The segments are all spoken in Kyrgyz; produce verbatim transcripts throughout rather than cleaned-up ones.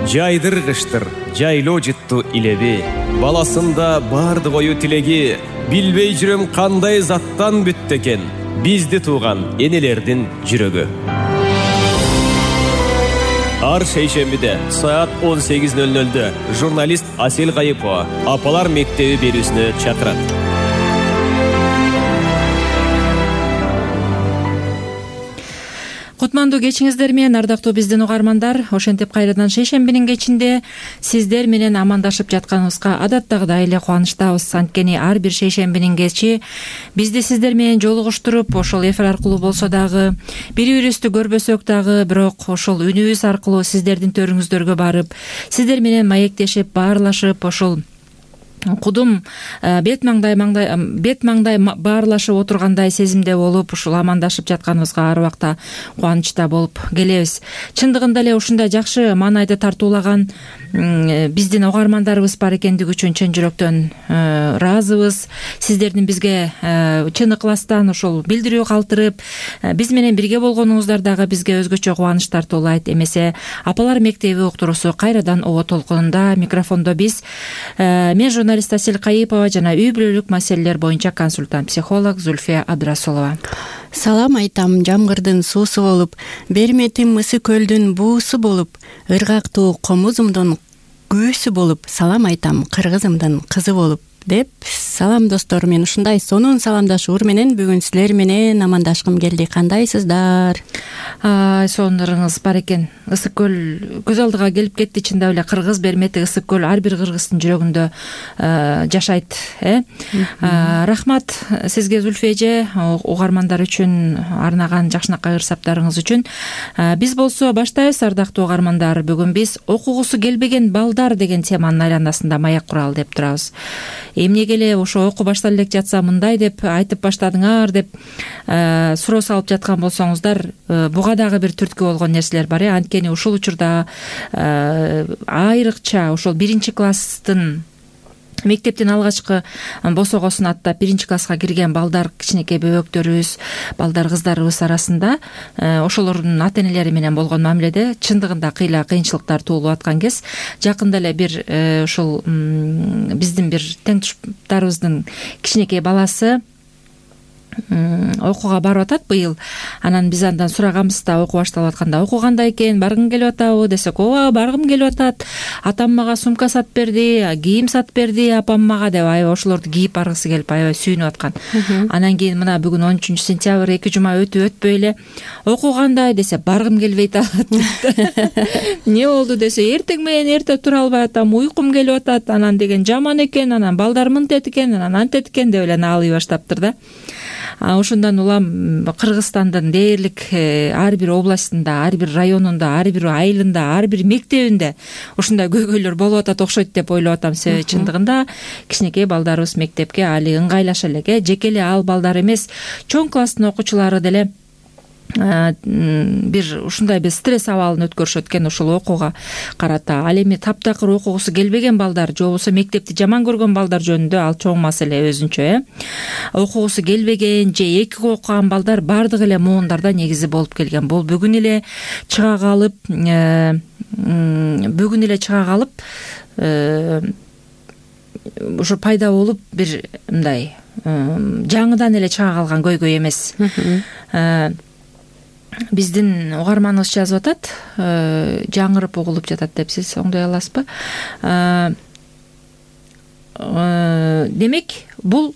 Жайдыргыштыр, жайлоо жытту илеби. Баласында барды бою тилеги. Билбей жүрөм кандай заттан бүттү экен бизди тууган энелердин жүрөгү. Ар шейшембиде саат он сегиз ноль нольдө журналист Асель Кайыпова апалар мектеби берүүсүнө чакырат. Кутмандуу кечиңиздер менен, ардактуу биздин угармандар. Ошентип кайрадан шейшембинин кечинде сиздер менен амандашып жатканыбызга адаттагыдай эле кубанычтабыз. Анткени ар бир шейшембинин кечи бизди сиздер менен жолугуштуруп, ошол эфир аркылуу болсо дагы, бири-бирибизди көрбөсөк дагы, бирок ошол үнүбүз аркылуу сиздердин төрүңүздөргө барып, сиздер менен маектешип, баарлашып, ошол кудум бет маңдай маңдай бет маңдай баарлашып отургандай сезимде болуп, ушул амандашып жатканыбызга ар убакта кубанычта болуп келебиз. Чындыгында эле ушундай жакшы маанайды тартуулаган биздин угармандарыбыз бар экендиги үчүн чын жүрөктөн ыраазыбыз. Сиздердин бизге чын ыкластан ошол билдирүү калтырып, биз менен бирге болгонуңуздар дагы бизге өзгөчө кубаныч тартуулайт. Эмесе апалар мектеби уктуруусу кайрадан оо толкунунда. Микрофондо биз, мен журналист Асель Кайыпова жана үй бүлөлүк маселелер боюнча консультант психолог Зульфия Абдрасулова. Салам айтам жамгырдын суусу болуп, берметим ысы көлдүн буусу болуп, ыргактуу комузумдун күүсү болуп, салам айтам кыргызымдын кызы болуп деп. Салам достор, мен ушундай сонун саламдашуур менен бүгүн силер менен амандашкым келди. Кандайсыздар? Сонуңарыңыз бар экен. Ысык көл көз алдыга келип кетти. Чындап эле кыргыз бермети ысык көл ар бир кыргыздын жүрөгүндө жашайт, э? Рахмат сизге Зульфия эже, угармандар үчүн арнаган жакшынакай ырсаптарыңыз үчүн. Биз болсо баштайбыз, ардактуу угармандар. Бүгүн биз окугусу келбеген балдар деген теманын айланасында маек куралы деп турабыз. Эмнеге эле ошо окуу башталып элек жатса мындай деп айтып баштадыңар деп суроо салып жаткан болсоңуздар, буга дагы бир түрткү болгон нерселер бар, э? Анткени ушул учурда айрыкча ошол биринчи класстын мектептин алгачкы босогосун аттап биринчи класска кирген балдар, кичинекей бөбөктөрүбүз, балдар, кыздарыбыз арасында ошолордун ата энелери менен болгон мамиледе чындыгында кыйла кыйынчылыктар туулуп аткан кез. Жакында эле бир ушул биздин бир тең туштарыбыздын кичинекей баласы окууга барып атат быйыл. Анан биз андан сураганбыз да, окуу башталып атканда, окуу кандай экен, баргың келип атабы десек, ооба баргым келип атат, атам мага сумка сатып берди, кийим сатып берди апам мага деп аябай ошолорду кийип баргысы келип аябай сүйүнүп аткан. Анан кийин мына бүгүн он үчүнчү сентябрь, эки жума өтүп өтпөй эле окуу кандай десе, баргым келбей атат. Не болду десе, эртең менен эрте тура албай атам, уйкум келип атат, анан деген жаман экен, анан балдар мынтет экен, анан антет экен деп эле наалый баштаптыр да. Ошондон улам Кыргызстандын дээрлик ар бир областында, ар бир районунда, ар бир айылында, ар бир мектебинде ушундай көйгөйлөр болуп атат окшойт деп ойлоп атам. Себеби чындыгында кичинекей балдарыбыз мектепке али ыңгайлаша элек, жеке эле ал балдар эмес, чоң класстын окуучулары деле бир ушундай бир стресс абалын өткөрүшөт экен ушул окууга карата. Ал эми таптакыр окугусу келбеген балдар же болбосо мектепти жаман көргөн балдар жөнүндө ал чоң маселе өзүнчө, э. Окугусу келбеген же эки окуган балдар бардык эле муундарда негизи болуп келген. Бул бүгүн эле чыга калып, бүгүн эле чыга калып ушу пайда болуп бир мындай жаңыдан эле чыга калган көйгөй эмес. Биздин угарманыбыз жазып атат, жаңырып угулуп жатат деп, сиз оңдой аласызбы? Демек, бул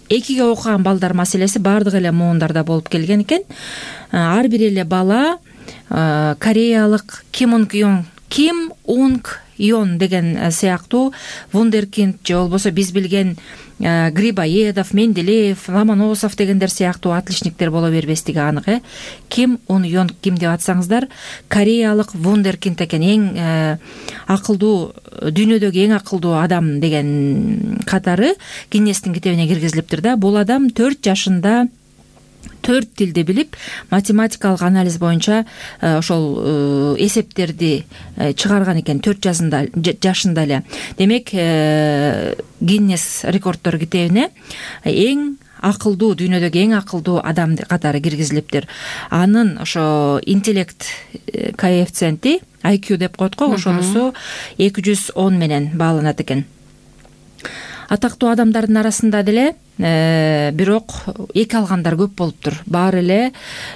экиге окуган балдар маселеси бардык эле муундарда болуп келген экен. Ар бир эле бала кореялык Ким Унг Йон, Ким Унг Йон деген сыяктуу вундеркинд же болбосо биз билген Грибоедов, Менделеев, Ломоносов дегендер сыяктуу отличниктер боло бербестиги анык, э. Ким Ун Йон ким деп атсаңыздар, кореялык вундеркинд экен, эң акылдуу, дүйнөдөгү эң акылдуу адам деген катары Гиннестин китебине киргизилиптир да. Бул адам төрт жашында төрт тилди билип, математикалык анализ боюнча ошол эсептерди чыгарган экен төрт жашында эле. Демек, Гиннес рекорддор китебине эң акылдуу, дүйнөдөгү эң акылдуу адам катары киргизилиптир. Анын ошо интеллект коэффициенти ай кью деп коет го, ошонусу эки жүз он менен бааланат экен. Атактуу адамдардын арасында деле бирок эки алгандар көп болуптур. Баары эле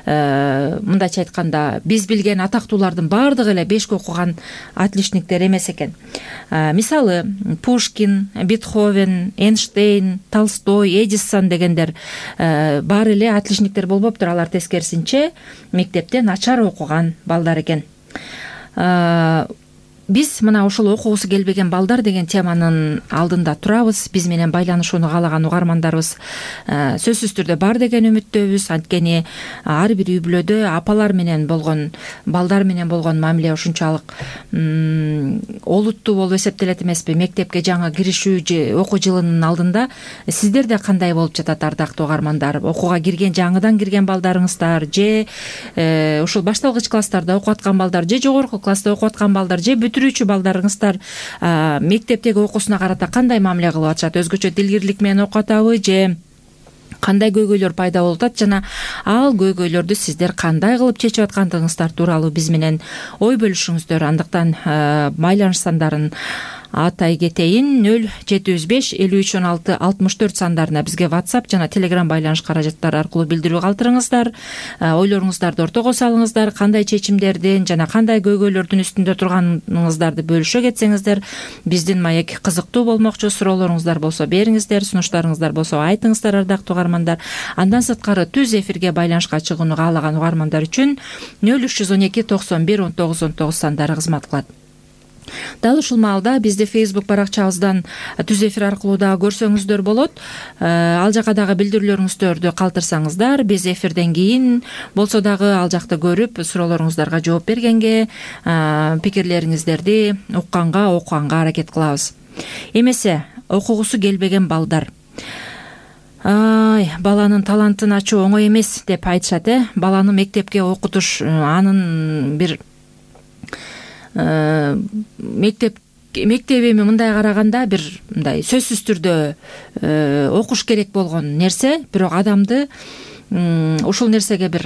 мындайча айтканда биз билген атактуулардын баардыгы эле бешке окуган отличниктер эмес экен. Мисалы Пушкин, Бетховен, Эйнштейн, Толстой, Эдисон дегендер баары эле отличниктер болбоптур. Алар тескерисинче мектепте начар окуган балдар экен. Биз мына ушул окугусу келбеген балдар деген теманын алдында турабыз. Биз менен байланышууну каалаган угармандарыбыз сөзсүз түрдө бар деген үмүттөбүз. Анткени ар бир үй бүлөдө апалар менен болгон, балдар менен болгон мамиле ушунчалык олуттуу болуп эсептелет эмеспи? Мектепке жаңы киришүү же окуу жылынын алдында сиздерде кандай болуп жатат, ардактуу угармандар? Окууга кирген, жаңыдан кирген балдарыңыздар же ушул башталгыч класстарда окуп аткан балдар, же жогорку класста окуп аткан балдар, же бүтүрүүчү балдарыңыздар мектептеги окуусуна карата кандай мамиле кылып атышат? Өзгөчө дилгирлик менен окуп атабы же кандай көйгөйлөр пайда болуп атат жана ал көйгөйлөрдү сиздер кандай кылып чечип аткандыгыңыздар тууралуу биз менен ой бөлүшүңүздөр. Андыктан байланыш сандарын атай кетейин: нөл жети жүз беш элүү үч он алты алтымыш төрт сандарына бизге WhatsApp жана Telegram байланыш каражаттары аркылуу билдирүү калтырыңыздар. Ойлоруңуздарды ортого салыңыздар. Кандай чечимдердин жана кандай көйгөйлөрдүн үстүндө турганыңыздарды бөлүшө кетсеңиздер биздин маек кызыктуу болмокчу. Суроолоруңуздар болсо бериңиздер, сунуштарыңыздар болсо айтыңыздар, ардактуу угармандар. Андан сырткары түз эфирге байланышка чыгууну каалаган угармандар үчүн нөл үч жүз он эки токсон бир он тогуз он тогуз сандары кызмат кылат. Дал ушул маалда бизди Facebook баракчабыздан түз эфир аркылуу дагы көрсөңүздөр болот. Ал жака дагы билдирүүлөрүңүздөрдү калтырсаңыздар, биз эфирден кийин болсо дагы ал жакты көрүп суроолоруңуздарга жооп бергенге, пикирлериңиздерди укканга, окуганга аракет кылабыз. Эмесе окугусу келбеген балдар. Ай, баланын талантын ачуу оңой эмес деп айтышат, э? Баланы мектепке окутуш, анын бир мектеп мектеп эми мындай караганда бир мындай сөзсүз түрдө окуш керек болгон нерсе, бирок адамды ушул нерсеге бир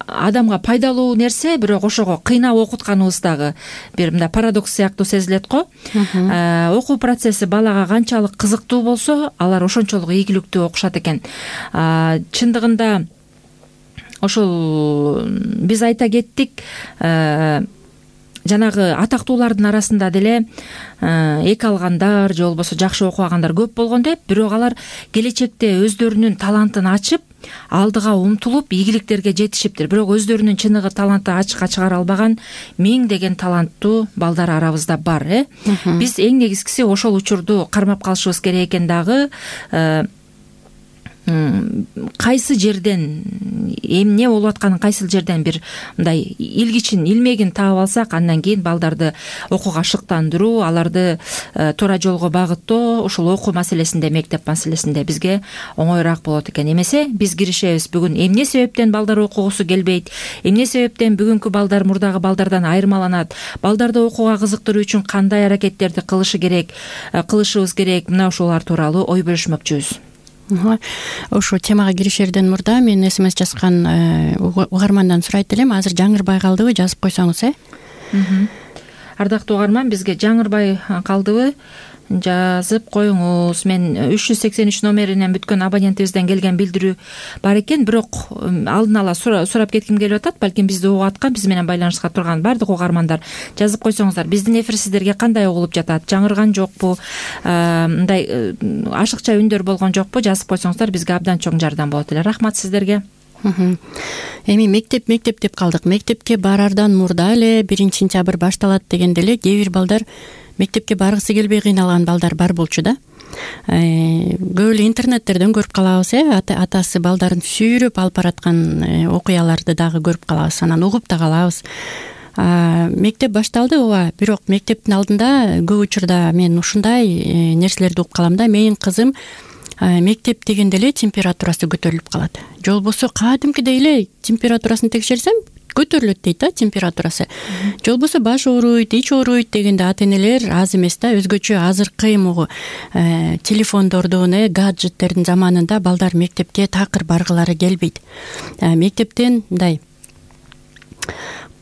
адамга пайдалуу нерсе, бирок ошого кыйнап окутканыбыз дагы бир мындай парадокс сыяктуу сезилет го. Окуу процесси балага канчалык кызыктуу болсо, алар ошончолук ийгиликтүү окушат экен. Чындыгында ошол биз айта кеттик, жанагы атактуулардын арасында деле эки алгандар же болбосо жакшы окубагандар көп болгон деп, бирок алар келечекте өздөрүнүн талантын ачып, алдыга умтулуп, ийгиликтерге жетишиптир. Бирок өздөрүнүн чыныгы талантты ачыкка чыгара албаган миңдеген таланттуу балдар арабызда бар, э? Биз эң негизгиси ошол учурду кармап калышыбыз керек экен дагы. Кайсы жерден эмне болуп атканын, кайсыл жерден бир мындай илгичин, илмегин таап алсак, андан кийин балдарды окууга шыктандыруу, аларды туура жолго багыттоо, ушул окуу маселесинде, мектеп маселесинде бизге оңоюраак болот экен. Эмесе биз киришебиз. Бүгүн эмне себептен балдар окугусу келбейт, эмне себептен бүгүнкү балдар мурдагы балдардан айырмаланат, балдарды окууга кызыктыруу үчүн кандай аракеттерди кылышы керек, кылышыбыз керек, мына ушулар тууралуу ой бөлүшмөкчүбүз. Ошо темага киришерден мурда мен смс жазган угармандан сурайт элем. Азыр жаңырбай калдыбы, жазып койсоңуз, э? Ардактуу угарман, бизге жаңырбай калдыбы, жазып коюңуз. Мен үч жүз сексен үч номеринен бүткөн абонентибизден келген билдирүү бар экен, бирок алдын ала сурап кетким келип атат. Балким бизди угуп аткан, биз менен байланышка турган бардык угармандар жазып койсоңуздар, биздин эфир сиздерге кандай угулуп жатат, жаңырган жокпу, мындай ашыкча үндөр болгон жокпу, жазып койсоңуздар бизге абдан чоң жардам болот эле. Рахмат сиздерге. Эми мектеп мектеп деп калдык. Мектепке барардан мурда эле биринчи сентябрь башталат дегенде эле кээ бир балдар мектепке баргысы келбей кыйналган балдар бар болчу да. Көп эле интернеттерден көрүп калабыз, э? Атасы балдарын сүйрөп алып бараткан окуяларды дагы көрүп калабыз, анан угуп да калабыз. Мектеп башталды, ооба, бирок мектептин алдында көп учурда мен ушундай нерселерди угуп калам да. Менин кызым мектеп дегенде эле температурасы көтөрүлүп калат. Же болбосо кадимкидей эле температурасын текшерсем көтөрүлөт дейт да температурасы. Же болбосо баш ооруйт, ич ооруйт дегенде ата-энелер аз эмес да. Өзгөчө азыркы могу телефондордун, гаджеттердин заманында балдар мектепке такыр баргылары келбейт. Мектептен мындай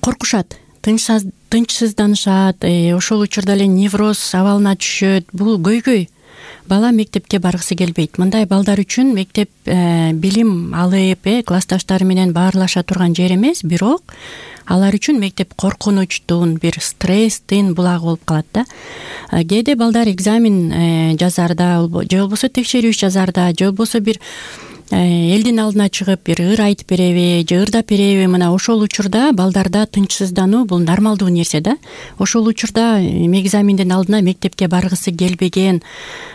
коркушат. тынчсызданышат, ошол учурда эле невроз абалына түшөт. Бул көйгөй. Бала мектепке баргысы келбейт. Мындай балдар үчүн мектеп билим алып, классташтары менен баарлаша турган жер эмес, бирок алар үчүн мектеп коркунучтун, бир стресстин булагы болуп калат да. Кээде балдар экзамен жазарда, же болбосо текшерүү иш жазарда, же болбосо бир элдин алдына чыгып бир ыр айтып береби же ырдап береби, мына ошол учурда балдарда тынчсыздануу бул нормалдуу нерсе да. Ошол учурда экзамендин алдына мектепке баргысы келбеген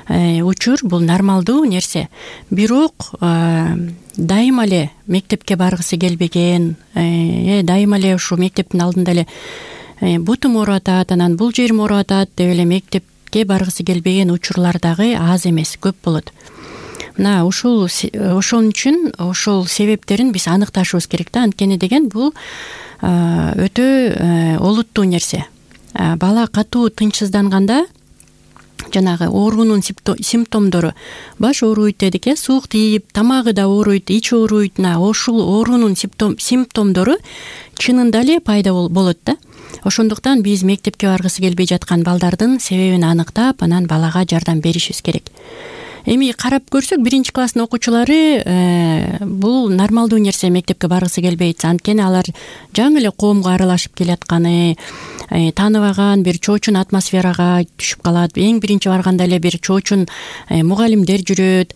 учур бул нормалдуу нерсе. Бирок дайыма эле мектепке баргысы келбеген, дайыма эле ушу мектептин алдында эле бутум ооруп атат, анан бул жерим ооруп атат деп эле мектепке баргысы келбеген учурлар дагы аз эмес, көп болот. Мына ушул ошон үчүн ошол себептерин биз аныкташыбыз керек да. Анткени деген бул өтө олуттуу нерсе. Бала катуу тынчсызданганда жанагы оорунун симптомдору, баш ооруйт дедик, э суук тийип, тамагы да ооруйт, ич ооруйт. Ошол оорунун симптомдору чынында эле пайда болот да. Ошондуктан биз мектепке баргысы келбей жаткан балдардын себебин аныктап, анан балага жардам беришибиз керек. Эми карап көрсөк, биринчи класстын окуучулары бул нормалдуу нерсе, мектепке баргысы келбейт. Анткени алар жаңы эле коомго аралашып келатканы, тааныбаган бир чоочун атмосферага түшүп калат. Эң биринчи барганда эле бир чоочун мугалимдер жүрөт,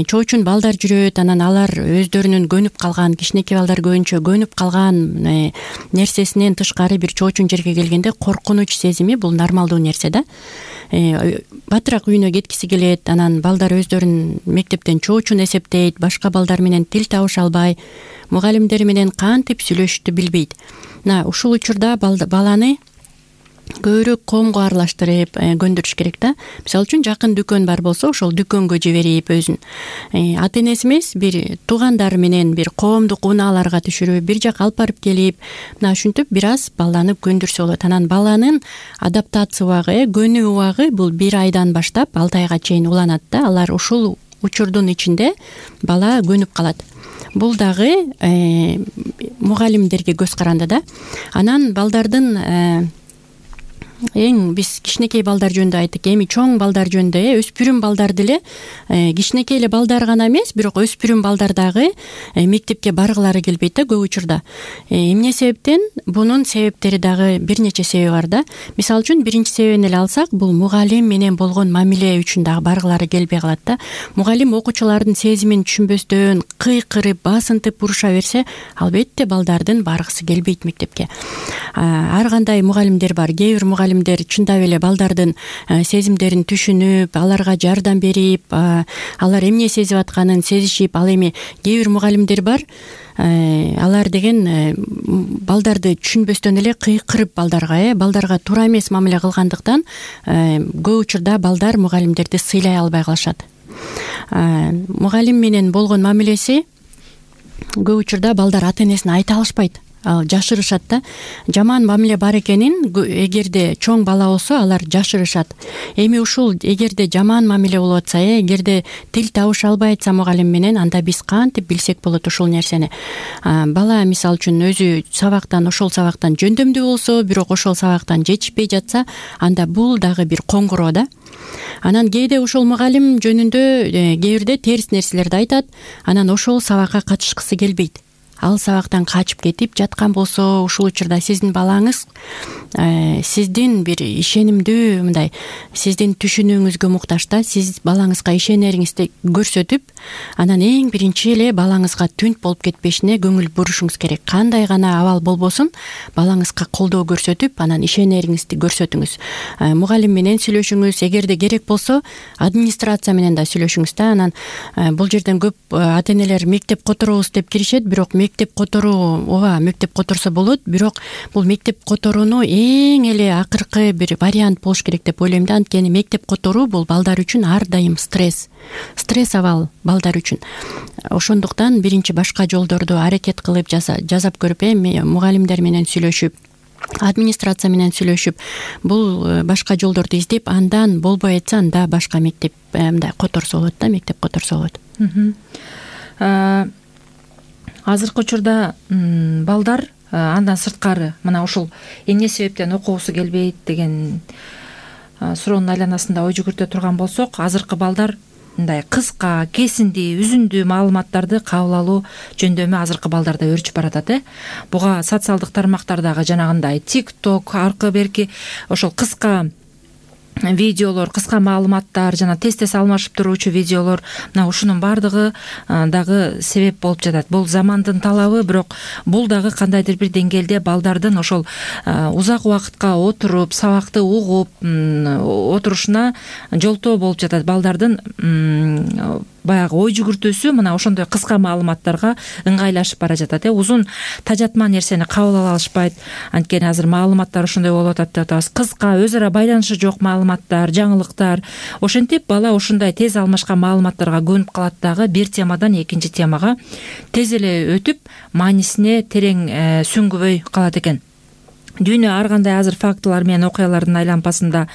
чоочун балдар жүрөт. Анан алар өздөрүнүн көнүп калган, кичинекей балдар көбүнчө көнүп калган нерсесинен тышкары бир чоочун жерге келгенде коркунуч сезими бул нормалдуу нерсе да. Батыраак үйүнө кеткиси келет, анан балдар өздөрүн мектептен чоочун эсептейт, башка балдар менен тил табыша албай, мугалимдери менен кантип сүйлөшүштү билбейт. Мына ушул учурда баланы көбүрөөк коомго аралаштырып көндүрүш керек да. Мисалы үчүн жакын дүкөн бар болсо, ошол дүкөнгө жиберип, өзүн ата энеси эмес, бир туугандары менен бир коомдук унааларга түшүрүп, бир жака алып барып келип, мына ушинтип бир аз баланы көндүрсө болот. Анан баланын адаптация убагы, көнүү убагы бул бир айдан баштап алты айга чейин уланат да. Алар ушул учурдун ичинде бала көнүп калат. Бул дагы мугалимдерге көз каранды да. Анан балдардын эң биз кичинекей балдар жөнүндө айттык, эми чоң балдар жөнүндө, өспүрүм балдар деле, кичинекей эле балдар гана эмес, бирок өспүрүм балдар дагы мектепке баргылары келбейт да көп учурда. Эмне себептен? Бунун себептери дагы бир нече себеби бар да. Мисалы үчүн биринчи себебин эле алсак, бул мугалим менен болгон мамиле үчүн дагы баргылары келбей калат да. Мугалим окуучулардын сезимин түшүнбөстөн, кыйкырып, басынтып уруша берсе, албетте балдардын баргысы келбейт мектепке. Ар кандай мугалимдер бар. Кээ бир мугалимдер чындап эле балдардын сезимдерин түшүнүп, аларга жардам берип, алар эмне сезип атканын сезишип, ал эми кээ бир мугалимдер бар, алар деген балдарды түшүнбөстөн эле кыйкырып балдарга, балдарга туура эмес мамиле кылгандыктан көп учурда балдар мугалимдерди сыйлай албай калышат. Мугалим менен болгон мамилеси көп учурда балдар ата энесине айта алышпайт. Жашырышат да. Жаман мамиле бар экенин эгерде чоң бала болсо, алар жашырышат. Эми ушул эгерде жаман мамиле болуп атса, эгерде тил табыша албай атса мугалим менен, анда биз кантип билсек болот ушул нерсени? Бала мисалы үчүн өзү сабактан, ошол сабактан жөндөмдүү болсо, бирок ошол сабактан жетишпей жатса, анда бул дагы бир коңгуроо да. Анан кээде ошол мугалим жөнүндө кээ бирде терс нерселерди айтат, анан ошол сабакка катышкысы келбейт. Ал сабактан качып кетип жаткан болсо, ушул учурда сиздин балаңыз сиздин бир ишенимдүү, мындай сиздин түшүнүүңүзгө муктаж да. Сиз балаңызга ишенериңизди көрсөтүп, анан эң биринчи эле балаңызга түнт болуп кетпешине көңүл бурушуңуз керек. Кандай гана абал болбосун, балаңызга колдоо көрсөтүп, анан ишенериңизди көрсөтүңүз. Мугалим менен сүйлөшүңүз, эгерде керек болсо, администрация менен да сүйлөшүңүз да. Анан бул жерден көп ата энелер мектеп которобуз деп киришет, бирок мектеп которуу, ооба, мектеп которсо болот, бирок бул мектеп которууну эң эле акыркы бир вариант болуш керек деп ойлойм да. Анткени мектеп которуу бул балдар үчүн ар дайым стресс. Стресс абал балдар үчүн. Ошондуктан биринчи башка жолдорду аракет кылып жасап көрүп, мугалимдер менен сүйлөшүп, администрация менен сүйлөшүп, бул башка жолдорду издеп, андан болбой атса, анда башка мектеп мындай которсо болот да, мектеп которсо болот. Азыркы учурда балдар андан сырткары мына ушул эмне себептен окугусу келбейт деген суроонун айланасында ой жүгүртө турган болсок, азыркы балдар мындай кыска, кесиндүү, үзүндүү маалыматтарды кабыл алуу жөндөмү азыркы балдарда өөрчүп баратат. э Буга социалдык тармактардагы жанагындай TikTok аркы берки ошол кыска видеолор, кыска маалыматтар жана тез тез алмашып туруучу видеолор, мына ушунун баардыгы дагы себеп болуп жатат. Бул замандын талабы, бирок бул дагы кандайдыр бир деңгээлде балдардын ошол узак убакытка отуруп, сабакты угуп отурушуна жолтоо болуп жатат. Балдардын баягы ой жүгүртүүсү мына ошондой кыска маалыматтарга ыңгайлашып бара жатат. э Узун тажатма нерсени кабыл ала алышпайт. Анткени азыр маалыматтар ошондой болуп атат деп атабыз. Кыска, өз ара байланышы жок маалыматтар, жаңылыктар. Ошентип бала ушундай тез алмашкан маалыматтарга көнүп калат дагы, бир темадан экинчи темага тез эле өтүп, маанисине терең сүңгүбөй калат экен. Дүйнө ар кандай азыр фактылар менен окуялардын айлампасында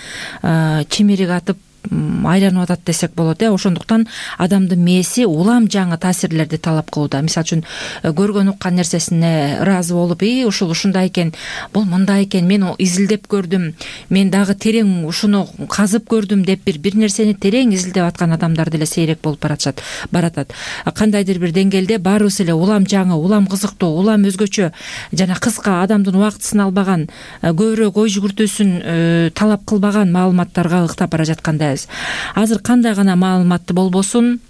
чимирик атып айланып атат десек болот. э Ошондуктан адамдын мээси улам жаңы таасирлерди талап кылууда. Мисалы үчүн көргөн уккан нерсесине ыраазы болуп, и ушул ушундай экен, бул мындай экен, мен изилдеп көрдүм, мен дагы терең ушуну казып көрдүм деп бир бир нерсени терең изилдеп аткан адамдар деле сейрек болуп баратат. Баратат. Кандайдыр бир деңгээлде баарыбыз эле улам жаңы, улам кызыктуу, улам өзгөчө жана кыска, адамдын убактысын албаган, көбүрөөк ой жүгүртүүсүн талап кылбаган маалыматтарга ыктап бара жаткандай. Азыр кандай гана маалыматты болбосун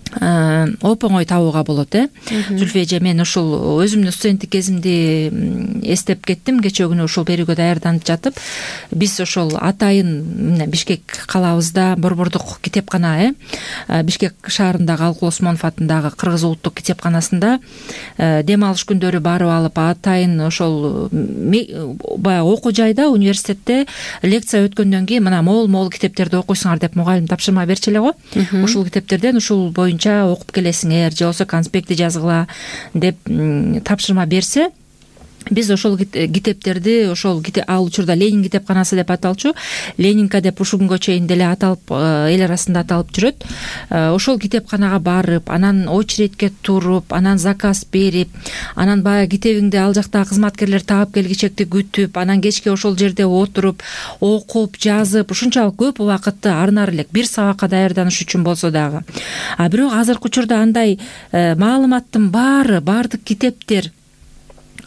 оп-оңой табууга болот. э Зүлфия эже, мен ушул өзүмдүн студенттик кезимди эстеп кеттим. Кечээ күнү ушул берүүгө даярданып жатып, биз ошол атайын Бишкек калабызда борбордук китепкана, э Бишкек шаарындагы Алкул Осмонов атындагы Кыргыз улуттук китепканасында дем алыш күндөрү барып алып, атайын ошол баягы окуу жайда, университетте лекция өткөндөн кийин мына мол-мол китептерди окуйсуңар деп мугалим тапшырма берчү эле го. Ушул китептерден ушул боюнча окуп келесиңер, же болбосо конспектти жазгыла деп тапшырма берсе, биз ошол китептерди ошол ал учурда Ленин китепканасы деп аталчу, Ленинка деп ушул күнгө чейин деле аталып, эл арасында аталып жүрөт. Ошол китепканага барып, анан очередке туруп, анан заказ берип, анан баягы китебиңди ал жактагы кызматкерлер таап келгичекти күтүп, анан кечке ошол жерде отуруп, окуп, жазып, ушунчалык көп убакытты арнар элек, бир сабакка даярданыш үчүн болсо дагы. А бирок азыркы учурда андай маалыматтын баары, баардык китептер,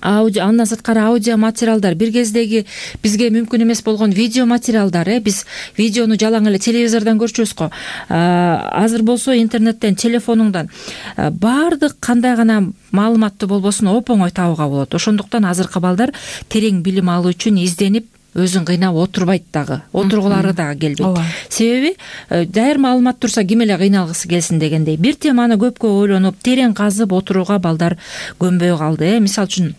аудио, андан сырткары аудио материалдар, бир кездеги бизге мүмкүн эмес болгон видео материалдар, э биз видеону жалаң эле телевизордон көрчүбүз го. Азыр болсо интернеттен, телефонуңдан баардык кандай гана маалыматты болбосун оп-оңой табууга болот. Ошондуктан азыркы балдар терең билим алуу үчүн изденип, өзүн кыйнап отурбайт дагы, отургулары дагы келбейт. Себеби даяр маалымат турса ким эле кыйналгысы келсин дегендей. Бир теманы көпкө ойлонуп, терең казып отурууга балдар көнбөй калды. э Мисалы үчүн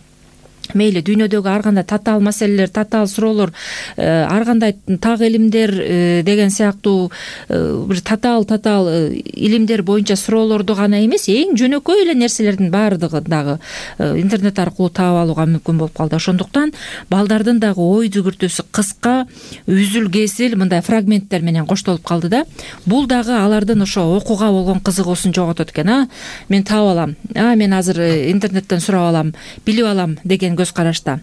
мейли дүйнөдөгү ар кандай татаал маселелер, татаал суроолор, ар кандай так илимдер деген сыяктуу бир татаал татаал илимдер боюнча суроолорду гана эмес, эң жөнөкөй эле нерселердин баардыгы дагы интернет аркылуу таап алууга мүмкүн болуп калды. Ошондуктан балдардын дагы ой жүгүртүүсү кыска, үзүл кесил мындай фрагменттер менен коштолуп калды да. Бул дагы алардын ошо окууга болгон кызыгуусун жоготот экен. А мен таап алам, а мен азыр интернеттен сурап алам, билип алам деген көз карашта.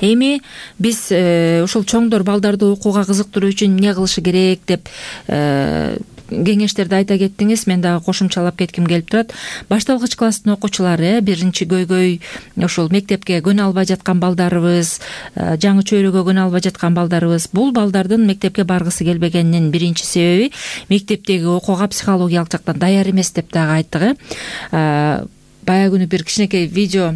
Эми биз ушул чоңдор балдарды окууга кызыктыруу үчүн эмне кылышы керек деп кеңештерди айта кеттиңиз. Мен дагы кошумчалап кетким келип турат. Башталгыч класстын окуучулары, биринчи көйгөй ошол мектепке көнө албай жаткан балдарыбыз, жаңы чөйрөгө көнө албай жаткан балдарыбыз, бул балдардын мектепке баргысы келбегенинин биринчи себеби мектептеги окууга психологиялык жактан даяр эмес деп дагы айттык. э Баягы күнү бир кичинекей видео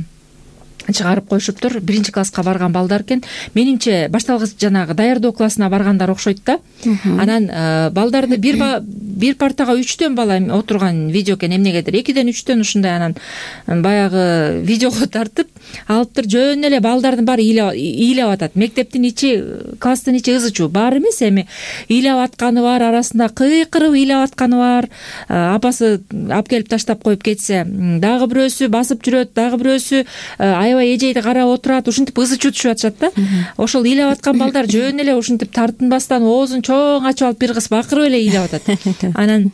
чыгарып коюшуптур. Биринчи класска барган балдар экен. Менимче башталгыч жанагы даярдоо классына баргандар окшойт да. Анан балдарды бир бир партага үчтөн бала отурган видео экен. Эмнегедир экиден үчтөн ушундай анан баягы видеого тартып алыптыр. Жөн эле балдардын баары ыйлап атат. Мектептин ичи, класстын ичи ызычуу. Баары эмес, эми ыйлап атканы бар, арасында кыйкырып ыйлап атканы бар. Апасы алып келип таштап коюп кетсе, дагы бирөөсү басып жүрөт, дагы бирөөсү аябай эжейди карап отурат. Ушинтип ызычуу түшүп атышат да. Ошол ыйлап аткан балдар жөн эле ушинтип тартынбастан оозун чоң ачып алып бир кыз бакырып эле ыйлап атат. Анан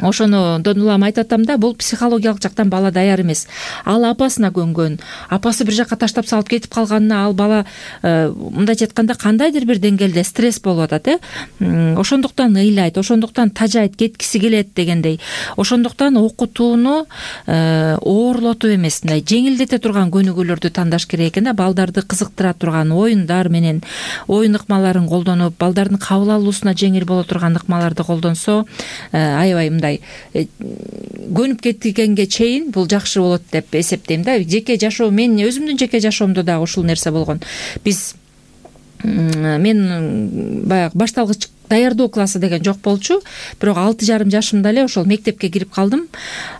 ошонодон улам айтып атам да, бул психологиялык жактан бала даяр эмес. Ал апасына көнгөн, апасы бир жакка таштап салып кетип калганына ал бала мындайча айтканда кандайдыр бир деңгээлде стресс болуп атат, э ошондуктан ыйлайт, ошондуктан тажайт, кеткиси келет дегендей. Ошондуктан окутууну оорлотуп эмес, мындай жеңилдете турган көнүгүүлөрдү тандаш керек экен да. Балдарды кызыктыра турган оюндар менен оюн ыкмаларын колдонуп, балдардын кабыл алуусуна жеңил боло турган ыкмаларды колдонсо аябай мындай көнүп кеткенге чейин бул жакшы болот деп эсептейм да. Жеке жашоо, мен өзүмдүн жеке жашоомдо дагы ушул нерсе болгон. Биз мен баягы башталгыч даярдоо классы деген жок болчу, бирок алты жарым жашымда эле ошол мектепке кирип калдым.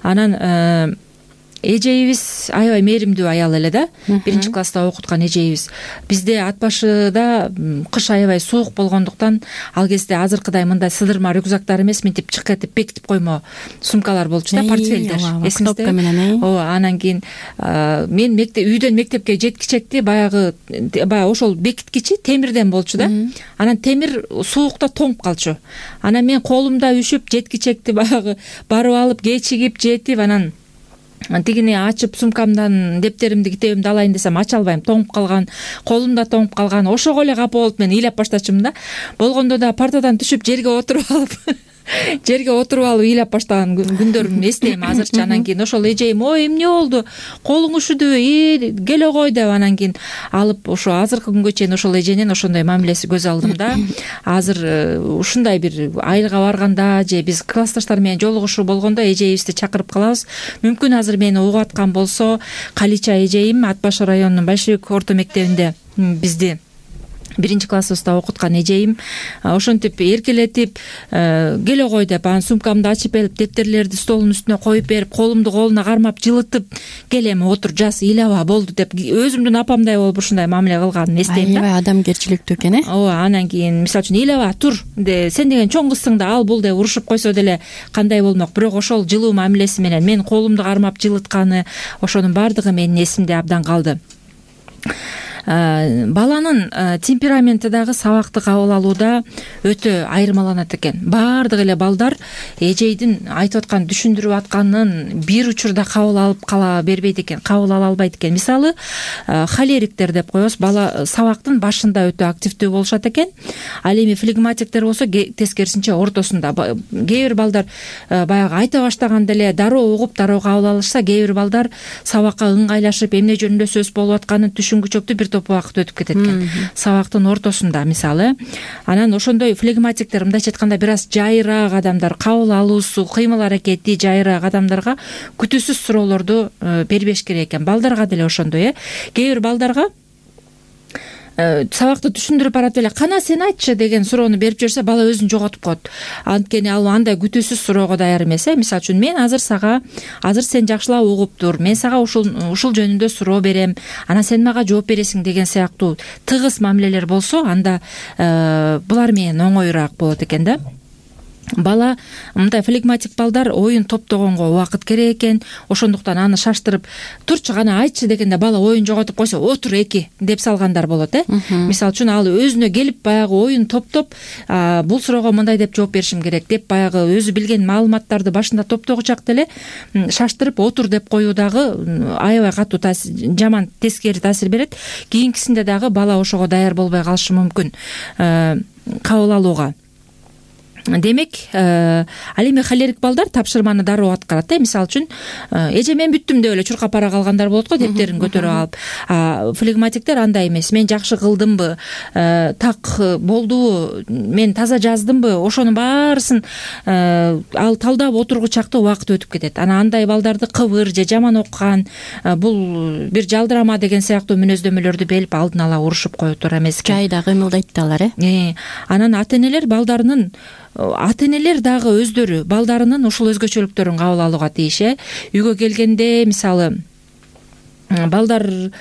Анан эжейибиз аябай мээримдүү аял эле да, биринчи класста окуткан эжейибиз. Бизде ат башыда кыш аябай суук болгондуктан ал кезде азыркыдай мындай сыдырма рюкзактар эмес, мынтип чык этип бекитип коймо сумкалар болчу да, портфелдер. Эсиңизде? Ооба, анан кийин мен мектеп үйдөн мектепке жеткичекти баягы баягы ошол бекиткичи темирден болчу да. Анан темир суукта тоңуп калчу. Анан мен колумда үшүп жеткичекти баягы барып алып кечигип жетип, анан тигини ачып сумкамдан дептеримди китебимди алайын десем ача албайм, тоңуп калган, колумда тоңуп калган. Ошого эле капа болуп мен ыйлап баштачумун да. Болгондо да партадан түшүп жерге отуруп алып жерге отуруп алып ыйлап баштаган күндөрүмдү эстейм азырчы. Анан кийин ошол эжейим: ой, эмне болду, колуң ушудубу, и келе кой деп анан кийин алып ошо азыркы күнгө чейин ошол эженин ошондой мамилеси көз алдымда. Азыр ушундай бир айылга барганда же биз классташтар менен жолугушуу болгондо эжейибизди чакырып калабыз. Мүмкүн азыр мени угуп аткан болсо, Калича эжейим Ат башы районунун Большевик орто мектебинде бизди биринчи классыбызда окуткан эжейим ошентип эркелетип келе кой деп анан сумкамды ачып берип, дептерлерди столдун үстүнө коюп берип, колумду колуна кармап жылытып, кел эми отур, жаз, ыйлаба, болду деп өзүмдүн апамдай болуп ушундай мамиле кылганын эстейм да. Аябай адамгерчиликтүү экен э. Ооба, анан кийин мисалы үчүн ыйлаба, тур, сен деген чоң кызсың да, ал бул деп урушуп койсо деле кандай болмок. Бирок ошол жылуу мамилеси менен мен колумду кармап жылытканы, ошонун баардыгы менин эсимде абдан калды. Баланын темпераменти дагы сабакты кабыл алууда өтө айырмаланат экен. Баардык эле балдар эжейдин айтып аткан, түшүндүрүп атканын бир учурда кабыл алып кала бербейт экен, кабыл ала албайт экен. Мисалы, холериктер деп коебуз, бала сабактын башында өтө активдүү болушат экен. Ал эми флегматиктер болсо тескерисинче ортосунда. Кээ бир балдар баягы айта баштаганда эле дароо угуп, дароо кабыл алышса, кээ бир балдар сабакка ыңгайлашып, эмне жөнүндө сөз болуп атканын түшүнгүчөктү бир топ убакыт өтүп кетет экен. Сабактын ортосунда мисалы. Анан ошондой флегматиктер, мындайча айтканда, бир аз жайыраак адамдар, кабыл алуусу, кыймыл аракети жайыраак адамдарга күтүүсүз суроолорду бербеш керек экен. Балдарга деле ошондой э. Кээ бир балдарга сабакты түшүндүрүп баратып эле кана сен айтчы деген суроону берип жиберсе, бала өзүн жоготуп коет. Анткени ал андай күтүүсүз суроого даяр эмес э. Мисалы үчүн, мен азыр сага, азыр сен жакшылап угуп тур, мен сага ушул ушул жөнүндө суроо берем, анан сен мага жооп бересиң деген сыяктуу тыгыз мамилелер болсо, анда булар менен оңоюраак болот экен да. Бала, мындай флегматик балдар оюн топтогонго убакыт керек экен. Ошондуктан аны шаштырып, турчу гана айтчы дегенде бала оюн жоготуп койсо, отур эки деп салгандар болот э. Мисалы үчүн, ал өзүнө келип баягы оюн топтоп, бул суроого мындай деп жооп беришим керек деп баягы өзү билген маалыматтарды башында топтогучакта эле шаштырып отур деп коюу дагы аябай катуу жаман тескери таасир берет. Кийинкисинде дагы бала ошого даяр болбой калышы мүмкүн кабыл алууга. Демек, ал эми холерик балдар тапшырманы дароо аткарат э. Мисалы үчүн, эже мен бүттүм деп эле чуркап бара калгандар болот го, дептерин көтөрүп алып. Флегматиктер андай эмес. Мен жакшы кылдымбы, так болдубу, мен таза жаздымбы, ошонун баарысын ал талдап отургучакта убакыт өтүп кетет. Анан андай балдарды кыбыр же жаман окуган, бул бир жалдырама деген сыяктуу мүнөздөмөлөрдү белип алдын ала урушуп кое тура эмес. Жайда кыймылдайт да алар э. Анан ата-энелер балдарынын ата-энелер дагы өздөрү балдарынын ушул өзгөчөлүктөрүн кабыл алууга тийиш э. Үйгө келгенде, мисалы, балдар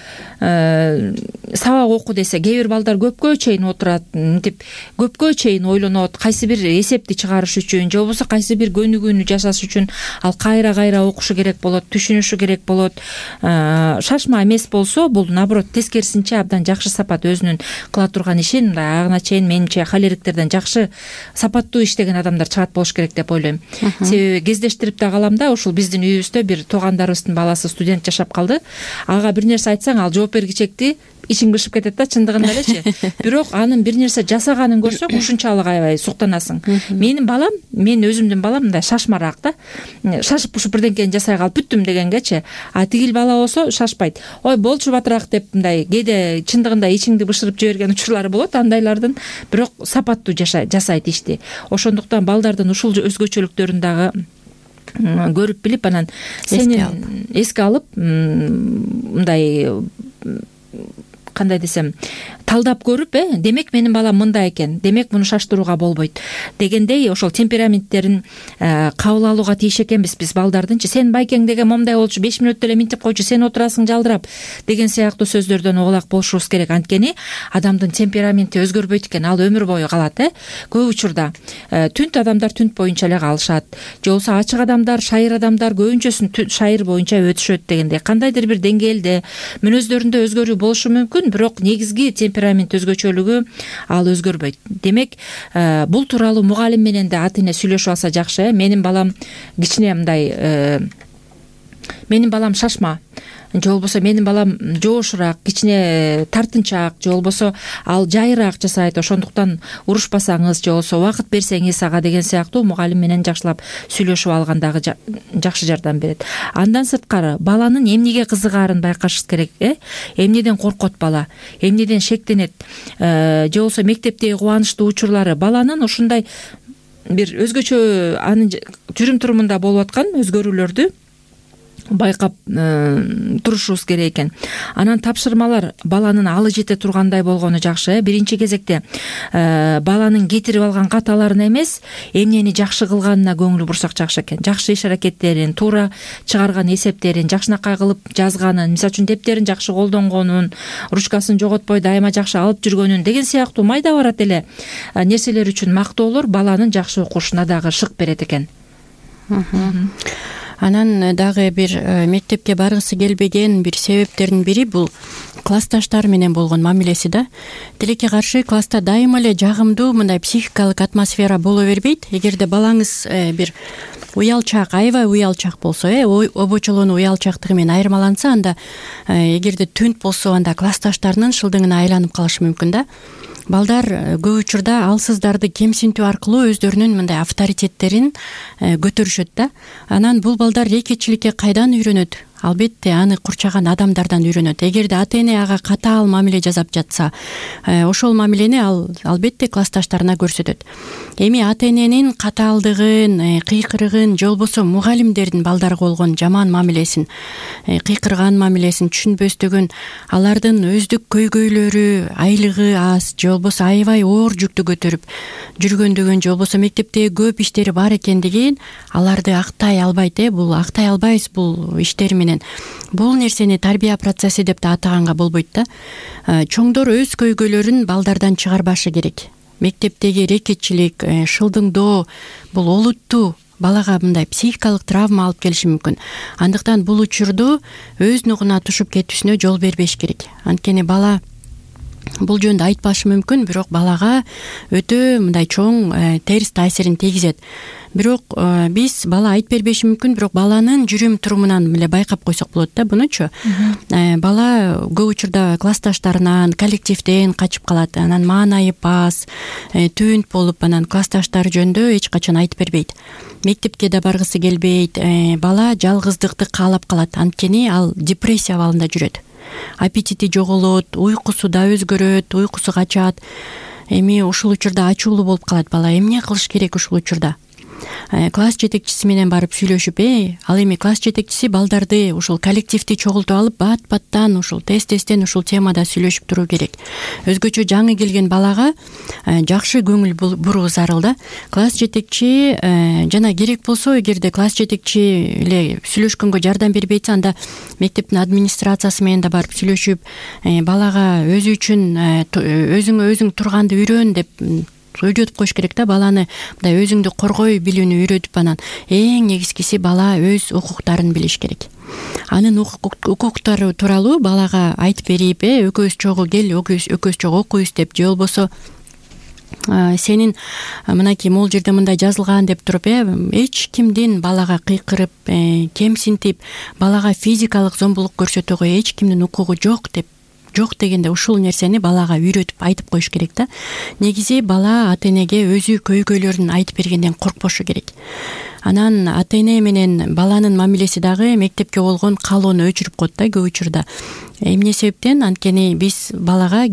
сабак оку десе, кээ бир балдар көпкө чейин отурат, мынтип көпкө чейин ойлонот, кайсы бир эсепти чыгарыш үчүн же болбосо кайсы бир көнүгүүнү жасаш үчүн ал кайра кайра окушу керек болот, түшүнүшү керек болот. Шашма эмес болсо, бул наоборот тескерисинче абдан жакшы сапат өзүнүн кыла турган ишин мындай агына чейин менимче холериктерден жакшы сапаттуу иштеген адамдар чыгат болуш керек деп ойлойм. Себеби кездештирип да калам да, ушул биздин үйүбүздө бир туугандарыбыздын баласы студент жашап калды. Ага бир нерсе айтсаң, ал жооп бергичекти ичиң бышып кетет да, чындыгында элечи. Бирок анын бир нерсе жасаганын көрсөң, ушунчалык аябай суктанасың. Менин балам, мен өзүмдүн балам мындай шашмараак да. Шашып ушуп бирдеңкени жасай калып бүттүм дегенгечи. А тигил бала болсо шашпайт. Ой, болчу батыраак деп мындай кээде чындыгында ичиңди бышырып жиберген учурлары болот. Андайлардын бирок сапаттуу жасайт ишти. Ошондуктан балдардын ушул өзгөчөлүктөрүн дагы көрүп билип, анан сени эске алып, мындай кандай десем, талдап көрүп, э демек менин балам мындай экен, демек муну шаштырууга болбойт дегендей ошол темпераменттерин кабыл алууга тийиш экенбиз биз балдардынчы. Сен байкең деген момундай болчу, беш мүнөттө эле минтип койчу, сен отурасың жалдырап деген сыяктуу сөздөрдөн оолак болушубуз керек. Анткени адамдын темпераменти өзгөрбөйт экен, ал өмүр бою калат. э Көп учурда түнт адамдар түнт боюнча эле калышат, же болбосо ачык адамдар, шайыр адамдар көбүнчөсүн шайыр боюнча өтүшөт дегендей. Кандайдыр бир деңгээлде мүнөздөрүндө өзгөрүү болушу мүмкүн, бирок негизги темперамент өзгөчөлүгү ал өзгөрбөйт. Демек, бул тууралуу мугалим менен да ата эне сүйлөшүп алса жакшы. Менин балам кичине мындай, менин балам шашма, же болбосо менин балам жоошураак, кичине тартынчаак, же болбосо ал жайыраак жасайт, ошондуктан урушпасаңыз же болбосо убакыт берсеңиз ага деген сыяктуу мугалим менен жакшылап сүйлөшүп алгандагы жакшы жардам берет. Андан сырткары баланын эмнеге кызыгаарын байкашыбыз керек. э Эмнеден коркот бала, эмнеден шектенет, же болбосо мектептеги кубанычтуу учурлары, баланын ушундай бир өзгөчө анын жүрүм турумунда болуп аткан өзгөрүүлөрдү байкап турушубуз керек экен. Анан тапшырмалар баланын алы жете тургандай болгону жакшы. Биринчи кезекте баланын кетирип алган каталарына эмес, эмнени жакшы кылганына көңүл бурсак жакшы экен. Жакшы иш аракеттерин, туура чыгарган эсептерин, жакшынакай кылып жазганын, мисалы үчүн дептерин жакшы колдонгонун, ручкасын жоготпой дайыма жакшы алып жүргөнүн деген сыяктуу майда барат эле нерселер үчүн мактоолор баланын жакшы окушуна дагы шык берет экен. Анан дагы бир мектепке баргысы келбеген бир себептердин бири бул классташтар менен болгон мамилеси да. Тилекке каршы класста дайыма эле жагымдуу мындай психикалык атмосфера боло бербейт. Эгерде балаңыз бир уялчаак, аябай уялчаак болсо, э обочолонуу уялчаактыгы менен айырмаланса, анда эгерде түнт болсо, анда классташтарынын шылдыңына айланып калышы мүмкүн да. Балдар көп учурда алсыздарды кемсинтүү аркылуу өздөрүнүн мындай авторитеттерин көтөрүшөт да. Анан бул балдар рекетчиликке кайдан үйрөнөт? Албетте аны курчаган адамдардан үйрөнөт. Эгерде ата эне ага катаал мамиле жасап жатса, ошол мамилени ал албетте классташтарына көрсөтөт. Эми ата эненин катаалдыгын, кыйкырыгын, же болбосо мугалимдердин балдарга болгон жаман мамилесин, кыйкырган мамилесин түшүнбөстүгүн, алардын өздүк көйгөйлөрү, айлыгы аз, же болбосо аябай оор жүктү көтөрүп жүргөндүгүн, же болбосо мектепте көп иштери бар экендигин аларды актай албайт. э Бул актай албайбыз бул иштери менен. Бул нерсени тарбия процесси деп да атаганга болбойт да. Чоңдор өз көйгөйлөрүн балдардан чыгарбашы керек. Мектептеги рекетчилик, шылдыңдоо бул олуттуу балага мындай психикалык травма алып келиши мүмкүн. Андыктан бул учурду өз нугуна тушуп кетүүсүнө жол бербеш керек. Анткени бала бул жөнүндө айтпашы мүмкүн, бирок балага өтө мындай чоң терс таасирин тийгизет. Бирок биз бала айтып бербеши мүмкүн, бирок баланын жүрүм турумунан эле байкап койсок болот да бунучу. Бала көп учурда классташтарынан, коллективден качып калат, анан маанайып аз, түнт болуп, анан классташтары жөнүндө эч качан айтып бербейт. Мектепке да баргысы келбейт, бала жалгыздыкты каалап калат, анткени ал депрессия абалында жүрөт. Аппетити жоголот, уйкусу да өзгөрөт, уйкусу качат. Эми ушул учурда ачуулуу болуп калат бала. Эмне кылыш керек ушул учурда? класс жетекчиси менен барып сүйлөшүп, э ал эми класс жетекчиси балдарды ушул коллективди чогултуп алып, бат баттан ушул тез тезден ушул темада сүйлөшүп туруу керек. Өзгөчө жаңы келген балага жакшы көңүл буруу зарыл да. Класс жетекчи жана керек болсо, эгерде класс жетекчи эле сүйлөшкөнгө жардам бербей атса, анда мектептин администрациясы менен да барып сүйлөшүп, балага өзү үчүн өзүңө өзүң турганды үйрөн деп үйрөтүп коюш керек да. Баланы мындай өзүңдү коргой билүүнү үйрөтүп, анан эң негизгиси бала өз укуктарын билиш керек. Анын укуктары тууралуу балага айтып берип, э экөөбүз чогуу кел, экөөбүз чогуу окуйбуз деп, же болбосо сенин мынакей могул жерде мындай жазылган деп туруп, э эч кимдин балага кыйкырып, кемсинтип, балага физикалык зомбулук көрсөтүүгө эч кимдин укугу жок деп жок дегенде ушул нерсени балага үйрөтүп айтып коюш керек да. Негизи бала ата энеге өзү көйгөйлөрүн айтып бергенден коркпошу керек. Анан ата эне менен баланын мамилеси дагы мектепке болгон каалоону өчүрүп коет да көп учурда. Эмне себептен? Анткени биз балага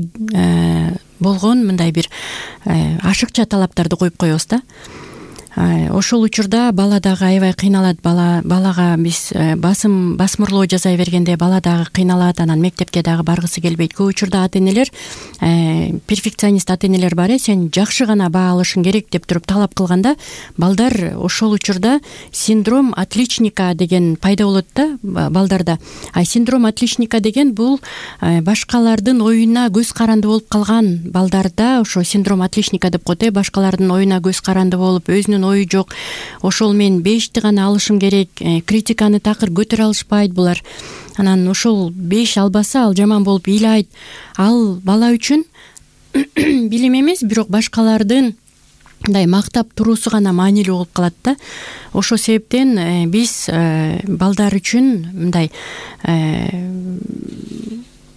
болгон мындай бир ашыкча талаптарды коюп коебуз да. Ошол учурда бала дагы аябай кыйналат. Бала балага биз басым басмырлоо жасай бергенде бала дагы кыйналат, анан мектепке дагы баргысы келбейт. Көп учурда ата энелер, перфекционист ата энелер бар, э сен жакшы гана баа алышың керек деп туруп талап кылганда, балдар ошол учурда синдром отличника деген пайда болот да балдарда. А синдром отличника деген бул башкалардын оюна көз каранды болуп калган балдарда ошо синдром отличника деп коет, э башкалардын оюна көз каранды болуп, өзүнүн ою жок, ошол мен бешти гана алышым керек, критиканы такыр көтөрө алышпайт булар. Анан ошол беш албаса ал жаман болуп ыйлайт. Ал бала үчүн билим эмес, бирок башкалардын мындай мактап туруусу гана маанилүү болуп калат да. Ошол себептен биз балдар үчүн мындай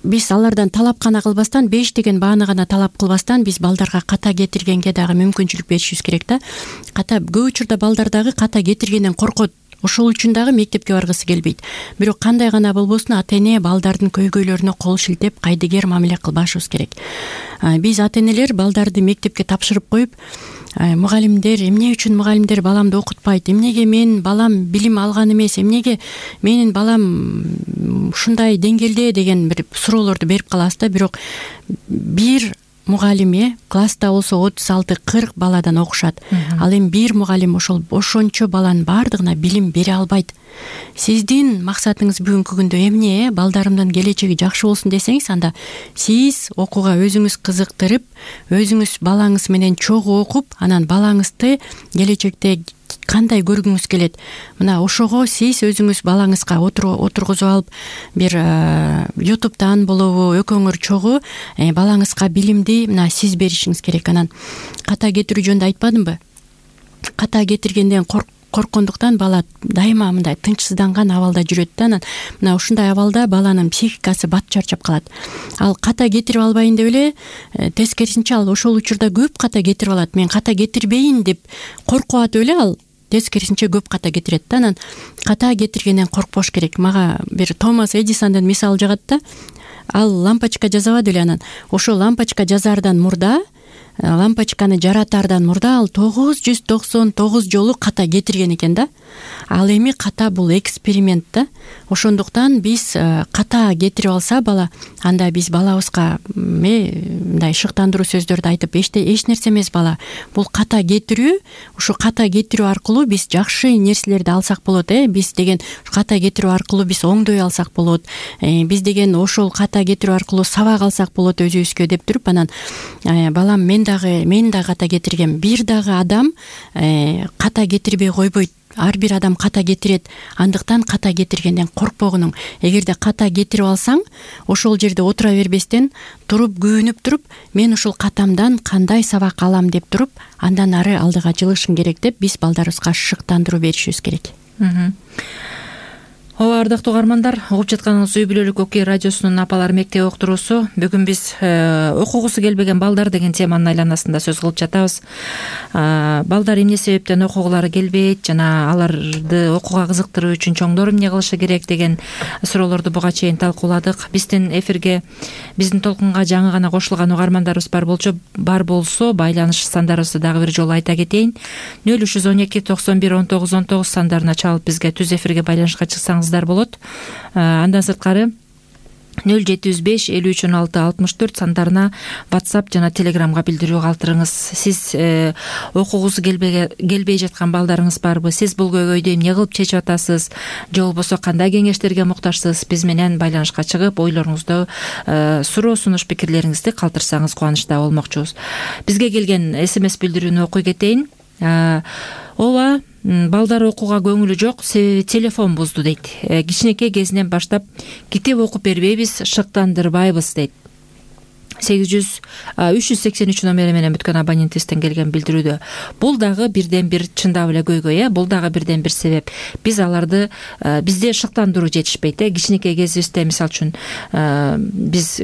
биз алардан талап гана кылбастан, беш деген бааны гана талап кылбастан, биз балдарга ката кетиргенге дагы мүмкүнчүлүк беришибиз керек да. Ката көп учурда балдар дагы ката кетиргенден коркот. Ошол үчүн дагы мектепке баргысы келбейт. Бирок кандай гана болбосун, ата эне балдардын көйгөйлөрүнө кол шилтеп, кайдыгер мамиле кылбашыбыз керек. Биз ата энелер балдарды мектепке тапшырып коюп, мугалимдер, эмне үчүн мугалимдер баламды окутпайт, эмнеге менин балам билим алган эмес, эмнеге менин балам ушундай деңгээлде деген бир суроолорду берип калабыз да. Бирок бир мугалим э класста болсо отуз алты кырк баладан окушат. Ал эми бир мугалим ошол ошончо баланын баардыгына билим бере албайт. Сиздин максатыңыз бүгүнкү күндө эмне? э Балдарымдын келечеги жакшы болсун десеңиз, анда сиз окууга өзүңүз кызыктырып, өзүңүз балаңыз менен чогуу окуп, анан балаңызды келечекте кандай көргүңүз келет, мына ошого сиз өзүңүз балаңызга отургузуп алып, бир ютубтан болобу, экөөңөр чогуу балаңызга билимди мына сиз беришиңиз керек. Анан ката кетирүү жөнүндө айтпадымбы? Ката кетиргенден корк корккондуктан бала дайыма мындай тынчсызданган абалда жүрөт да. Анан мына ушундай абалда баланын психикасы бат чарчап калат. Ал ката кетирип албайын деп эле тескерисинче ал ошол учурда көп ката кетирип алат. Мен ката кетирбейин деп коркуп атып эле ал тескерисинче көп ката кетирет да. Анан ката кетиргенден коркпош керек. Мага бир Томас Эдисондун мисалы жагат да. Ал лампочка жасабады эле, анан ошол лампочка жасаардан мурда, лампочканы жаратаардан мурда ал тогуз жүз токсон тогуз жолу ката кетирген экен да. Ал эми ката бул эксперимент да. Ошондуктан биз ката кетирип алса бала, анда биз балабызга мындай шыктандыруу сөздөрдү айтып, эч нерсе эмес бала, бул ката кетирүү, ушу ката кетирүү аркылуу биз жакшы нерселерди алсак болот, э биз деген ката кетирүү аркылуу биз оңдой алсак болот, биз деген ошол ката кетирүү аркылуу сабак алсак болот өзүбүзгө деп туруп, анан балам мен дагы мен дагы ката кетиргем. Бир дагы адам ката кетирбей койбойт. Ар бир адам ката кетирет. Андыктан ката кетиргенден коркпогунуң. Эгерде ката кетирип алсаң, ошол жерде отура бербестен, туруп күбөнүп туруп, мен ушул катамдан кандай сабак алам деп туруп, андан ары алдыга жылышың керек деп биз балдарыбызга шыктандыруу беришибиз керек. ооба, ардактуу угармандар, угуп жатканыңыз үй бүлөлүк окуй радиосунун апалар мектеби уктуруусу. Бүгүн биз окугусу келбеген балдар деген теманын айланасында сөз кылып жатабыз. Балдар эмне себептен окугулары келбейт жана аларды окууга кызыктыруу үчүн чоңдор эмне кылышы керек деген суроолорду буга чейин талкууладык. Биздин эфирге, биздин толкунга жаңы гана кошулган угармандарыбыз бар болчу, бар болсо байланыш сандарыбызды дагы бир жолу айта кетейин. нөл үч жүз он эки токсон бир он тогуз он тогуз сандарына чалып бизге түз эфирге байланышка чыксаңыз болот. Андан сырткары нөл жети жүз беш элүү үч он алты алтымыш төрт сандарына WhatsApp жана Telegramга билдирүү калтырыңыз. Сиз э, окугусу келбей жаткан балдарыңыз барбы? Сиз бул көйгөйдү эмне кылып чечип атасыз? Же болбосо кандай кеңештерге муктажсыз? Биз менен байланышка чыгып, ойлоруңузду, э, суроо сунуш пикирлериңизди калтырсаңыз кубанычта болмокчубуз. Бизге келген смс билдирүүнү окуй кетейин. Ооба, балдар окууга көңүлү жок, телефон бузду дейт. Кичинекей кезинен баштап китеп окуп бербейбиз, шыктандырбайбыз дейт. сегиз жүз үч жүз сексен үч номери менен бүткөн абонентибизден келген билдирүүдө. Бул дагы бирден бир чындап эле көйгөй, э, бул дагы бирден бир себеп. Биз аларды бизде шыктандыруу жетишпейт, э. Кичинекей кезибизде мисалы үчүн биз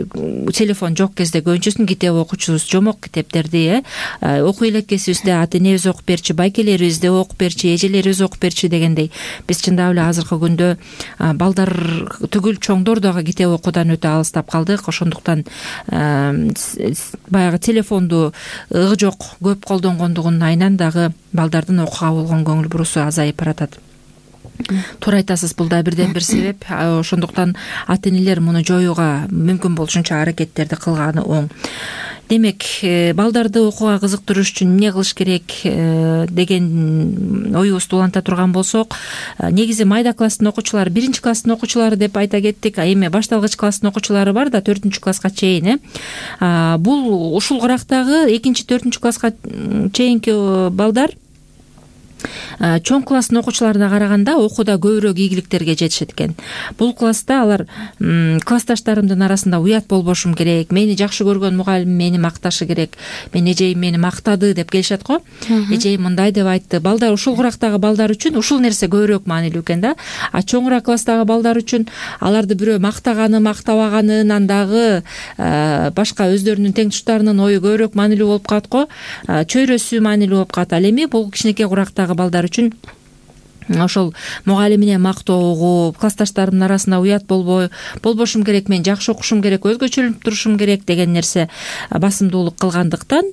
телефон жок кезде көбүнчөсүн китеп окучубуз, жомок китептерди, э. Окуй элеккесибизде ата энебиз окуп берчи, байкелерибиз де окуп берчи, эжелерибиз окуп берчи дегендей. Биз чындап эле азыркы күндө балдар түгүл чоңдор дагы китеп окуудан өтө алыстап калдык. Ошондуктан баягы телефонду ыгы жок көп колдонгондугунун айынан дагы балдардын окууга болгон көңүл буруусу азайып баратат. Туура айтасыз, бул да бирден бир себеп. Ошондуктан ата энелер муну жоюуга мүмкүн болушунча аракеттерди кылганы оң. Демек, балдарды окууга кызыктырыш үчүн эмне кылыш керек деген оюбузду уланта турган болсок, негизи майда класстын окуучулары, биринчи класстын окуучулары деп айта кеттик, а эми башталгыч класстын окуучулары бар да, төртүнчү класска чейин, э. Бул ушул кырактагы экинчи, төртүнчү класска чейинки балдар чоң класстын окуучуларына караганда окууда көбүрөөк ийгиликтерге жетишет экен. Бул класста алар классташтарымдын арасында уят болбошум керек, мени жакшы көргөн мугалим мени макташы керек, мен эжейим мени мактады деп келишет го. Эжейим мындай деп айтты. Балдар, ушул курактагы балдар үчүн ушул нерсе көбүрөөк маанилүү экен да. А чоңураак класстагы балдар үчүн аларды бирөө мактаганы, мактабаганынан дагы башка өздөрүнүн теңтуштарынын ою көбүрөөк маанилүү болуп калат го. Чөйрөсү маанилүү болуп калат. Ал эми бул кичинекей курактагы балдар үчүн ошол мугалимине мактоого, классташтарымдын арасында уят болбой, болбошум керек, мен жакшы окушум керек, өзгөчөлүнүп турушум керек деген нерсе басымдуулук кылгандыктан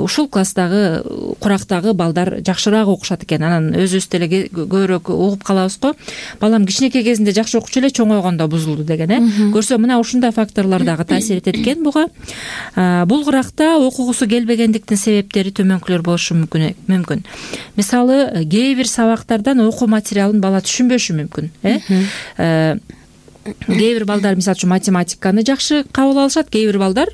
ушул класстагы курактагы балдар жакшыраак окушат экен. Анан өзүбүз деле көбүрөөк угуп калабыз го. Балам кичинекей кезинде жакшы окучу эле, чоңойгондо бузулду деген, э. Көрсө мына ушундай факторлор дагы таасир этет экен буга. Бул куракта окугусу келбегендиктин себептери төмөнкүлөр болушу мүмкүн. Мисалы, кээ бир сабактардан окуу материалын бала түшүнбөшү мүмкүн, э. Кээ бир балдар мисалы үчүн математиканы жакшы кабыл алышат, кээ бир балдар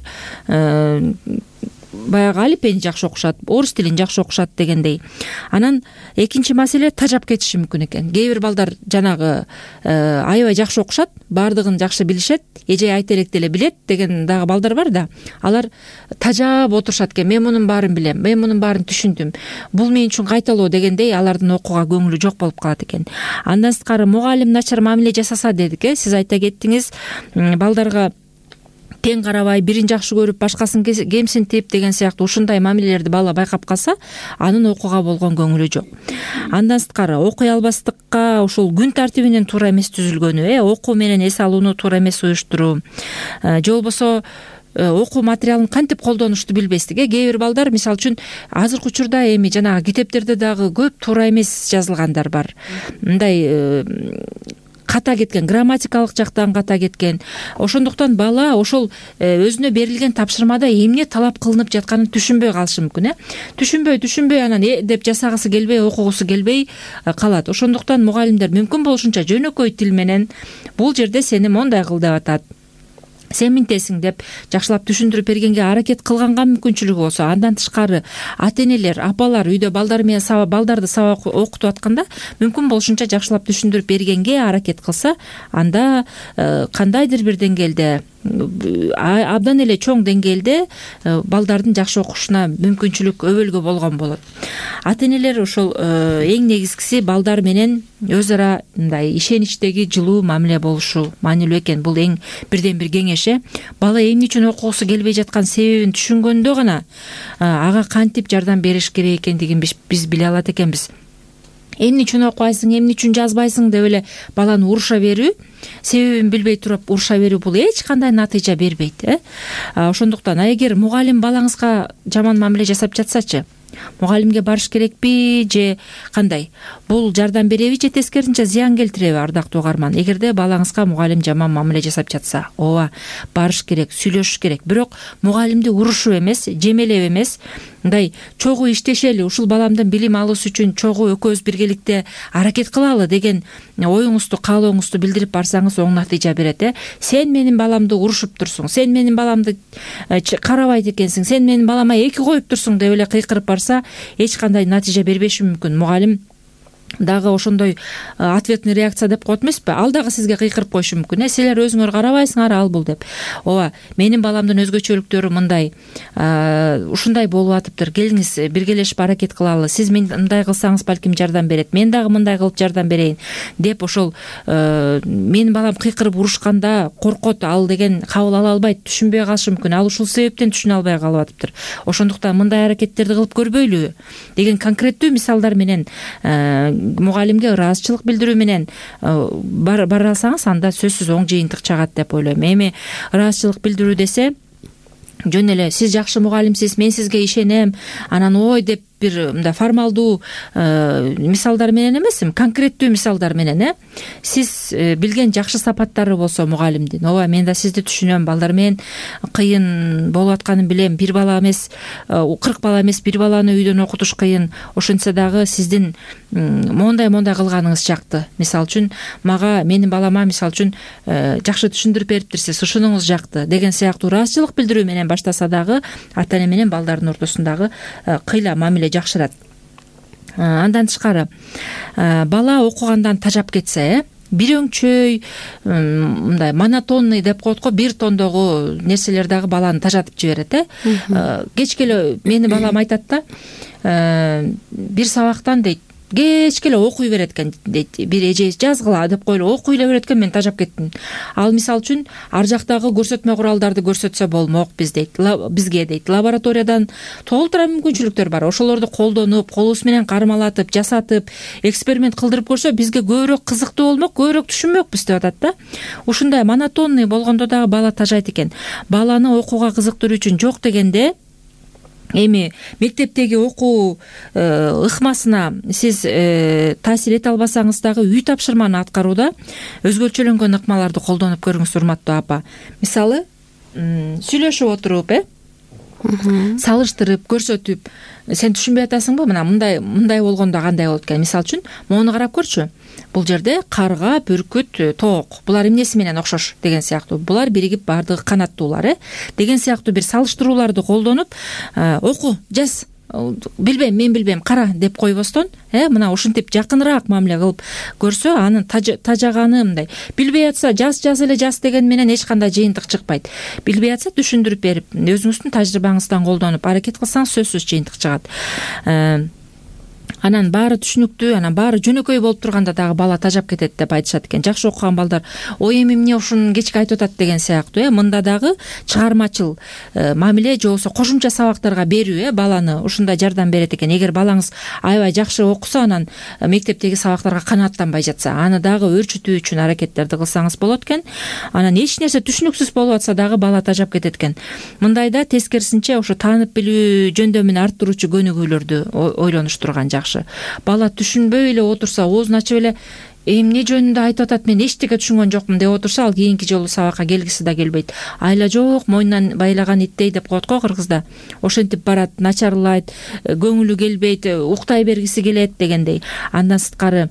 баягы алипени жакшы окушат, орус тилин жакшы окушат дегендей. Анан экинчи маселе тажап кетиши мүмкүн экен. Кээ бир балдар жанагы аябай жакшы окушат, баардыгын жакшы билишет, эже айта элек деле билет деген дагы балдар бар да. Алар тажап отурушат экен. Мен мунун баарын билем, мен мунун баарын түшүндүм. Бул мен үчүн кайталоо дегендей алардын окууга көңүлү жок болуп калат экен. Андан сырткары мугалим начар мамиле жасаса дедик, э. Сиз айта кеттиңиз, балдарга тең карабай, бирин жакшы көрүп, башкасын кемсинтип деген сыяктуу ушундай мамилелерди бала байкап калса, анын окууга болгон көңүлү жок. Андан сырткары окуй албастыкка ушул күн тартибинин туура эмес түзүлгөнү, э, окуу менен эс алууну туура эмес уюштуруу, же болбосо окуу материалын кантип колдонушту билбестик, э. Кээ бир балдар мисалы үчүн азыркы учурда эми жанагы китептерде дагы көп туура эмес жазылгандар бар. Мындай ката кеткен, грамматикалык жактан ката кеткен. Ошондуктан бала ошол өзүнө берилген тапшырмада эмне талап кылынып жатканын түшүнбөй калышы мүмкүн, э. Түшүнбөй, түшүнбөй анан э деп жасагысы келбей, окугусу келбей калат. Ошондуктан мугалимдер мүмкүн болушунча жөнөкөй тил менен бул жерде сени мондай кыл деп атат, сен мынтесиң деп жакшылап түшүндүрүп бергенге аракет кылганга мүмкүнчүлүгү болсо, андан тышкары ата энелер, апалар үйдө балдар менен сабак балдарды сабак окутуп атканда мүмкүн болушунча жакшылап түшүндүрүп бергенге аракет кылса, анда кандайдыр бир деңгээлде абдан эле чоң деңгээлде балдардын жакшы окушуна мүмкүнчүлүк өбөлгө болгон болот. Ата энелер ошол эң негизгиси балдар менен өз ара мындай ишеничтеги жылуу мамиле болушу маанилүү экен. Бул эң бирден бир кеңеш э. Бала эмне үчүн окугусу келбей жаткан себебин түшүнгөндө гана ага кантип жардам бериш керек экендигин биз биле алат экенбиз. Эмне үчүн окубайсың, эмне үчүн жазбайсың деп эле баланы уруша берүү, себебин билбей туруп уруша берүү бул эч кандай натыйжа бербейт э. Ошондуктан эгер мугалим балаңызга жаман мамиле жасап жатсачы, мугалимге барыш керекпи же кандай? Бул жардам береби же тескерисинче зыян келтиреби, ардактуу угарман? Эгерде балаңызга мугалим жаман мамиле жасап жатса, ооба, барыш керек, сүйлөшүш керек. Бирок мугалимди урушуп эмес, жемелеп эмес, мындай чогуу иштешели, ушул баламдын билим алышы үчүн чогуу экөөбүз биргеликте аракет кылалы деген оюңузду, каалооңузду билдирип барсаңыз оң натыйжа берет э. Сен менин баламды урушуп турсуң, сен менин баламды карабайт экенсиң, сен менин балама эки коюп турсуң деп эле кыйкырып барса, эч кандай натыйжа бербеши мүмкүн. Мугалим дагы ошондой ответный реакция деп коет эмеспи? Ал дагы сизге кыйкырып коюшу мүмкүн э. Силер өзүңөр карабайсыңар, ал бул деп. Ооба, менин баламдын өзгөчөлүктөрү мындай, ушундай болуп атыптыр. Келиңиз, биргелешип аракет кылалы. Сиз мындай кылсаңыз балким жардам берет. Мен дагы мындай кылып жардам берейин деп ошол менин балам кыйкырып урушканда коркот, ал деген кабыл ала албайт, түшүнбөй калышы мүмкүн. Ал ушул себептен түшүнө албай калып атыптыр. Ошондуктан мындай аракеттерди кылып көрбөйлүбү деген конкреттүү мисалдар менен мугалимге ыраазычылык билдирүү менен бара алсаңыз, анда сөзсүз оң жыйынтык чыгат деп ойлойм. Эми ыраазычылык билдирүү десе, жөн эле сиз жакшы мугалимсиз, мен сизге ишенем, анан ой деп бир мындай формалдуу мисалдар менен эмес, конкреттүү мисалдар менен э. Сиз билген жакшы сапаттары болсо мугалимдин, ооба, мен да сизди түшүнөм, балдар менен кыйын болуп атканын билем, бир бала эмес, кырк бала эмес, бир баланы үйдөн окутуш кыйын. Ошентсе дагы сиздин мондай-мондай кылганыңыз жакты. Мисалы үчүн, мага, менин балама мисалы үчүн жакшы түшүндүрүп бериптирсиз, ушунуңуз жакты деген сыяктуу ыраазычылык билдирүү менен баштаса дагы ата эне менен балдардын ортосундагы кыйла мамиле жакшырат. Андан тышкары, бала окугандан тажап кетсе, э, бир өңчөй, мындай монотонный деп коет го, бир тондогу нерселер дагы баланы тажатып жиберет э. Кечке эле менин балам айтат да, бир сабактан дейт, кечке эле окуй берет экен дейт. Бир эже жазгыла деп койлу, окуй эле берет экен, мен тажап кеттим. Ал мисалы үчүн ар жактагы көрсөтмө куралдарды көрсөтсө болмок биз дейт, бизге дейт. Лабораториядан толтура мүмкүнчүлүктөр бар. Ошолорду колдонуп, колубуз менен кармалатып, жасатып, эксперимент кылдырып көрсө, бизге көбүрөөк кызыктуу болмок, көбүрөөк түшүнмөкпүз деп атат да. Ушундай монотонный болгондо дагы бала тажайт экен. Баланы окууга кызыктыруу үчүн жок дегенде, эми мектептеги окуу ыкмасына сиз таасир эте албасаңыз дагы үй тапшырманы аткарууда өзгөчөлөнгөн ыкмаларды колдонуп көрүңүз, урматтуу апа. Мисалы, сүйлөшүп отуруп, э, салыштырып, көрсөтүп, сен түшүнбөй атасыңбы, мына мындай мындай болгондо кандай болот экен. Мисалы үчүн, моуну карап көрчү. Бул жерде карга, бүркүт, тоок, булар эмнеси менен окшош деген сыяктуу. Булар биригип баардыгы канаттуулар, э, деген сыяктуу бир салыштырууларды колдонуп, оку, жаз, билбейм, мен билбейм, кара деп койбостон, э, мына ушинтип жакыныраак мамиле кылып көрсө, анын тажаганы мындай. Билбей атса, жаз жаз эле жаз деген менен эч кандай жыйынтык чыкпайт. Билбей атса, түшүндүрүп берип, өзүңүздүн тажрыйбаңыздан колдонуп аракет кылсаңыз сөзсүз жыйынтык чыгат. Анан баары түшүнүктүү, анан баары жөнөкөй болуп турганда дагы бала тажап кетет деп айтышат экен. Жакшы окуган балдар, ой эми эмне ушун кечке айтып атат деген сыяктуу, э, мында дагы чыгармачыл мамиле же болбосо кошумча сабактарга берүү, э, баланы ушундай жардам берет экен. Эгер балаңыз аябай жакшы окуса, анан мектептеги сабактарга канааттанбай жатса, аны дагы өөрчүтүү үчүн аракеттерди кылсаңыз болот экен. Анан эч нерсе түшүнүксүз болуп атса дагы бала тажап кетет экен. Мындайда тескерисинче ошо таанып билүү жөндөмүн арттыруучу көнүгүүлөрдү ойлонуштурган жакшы. Бала түшүнбөй эле отурса, оозун ачып эле эмне жөнүндө айтып атат, мен эчтеке түшүнгөн жокмун деп отурса, ал кийинки жолу сабакка келгиси да келбейт. Айла жок, мойнунан байлаган иттей деп коет го кыргызда. Ошентип барат, начарлайт, көңүлү келбейт, уктай бергиси келет дегендей. Андан сырткары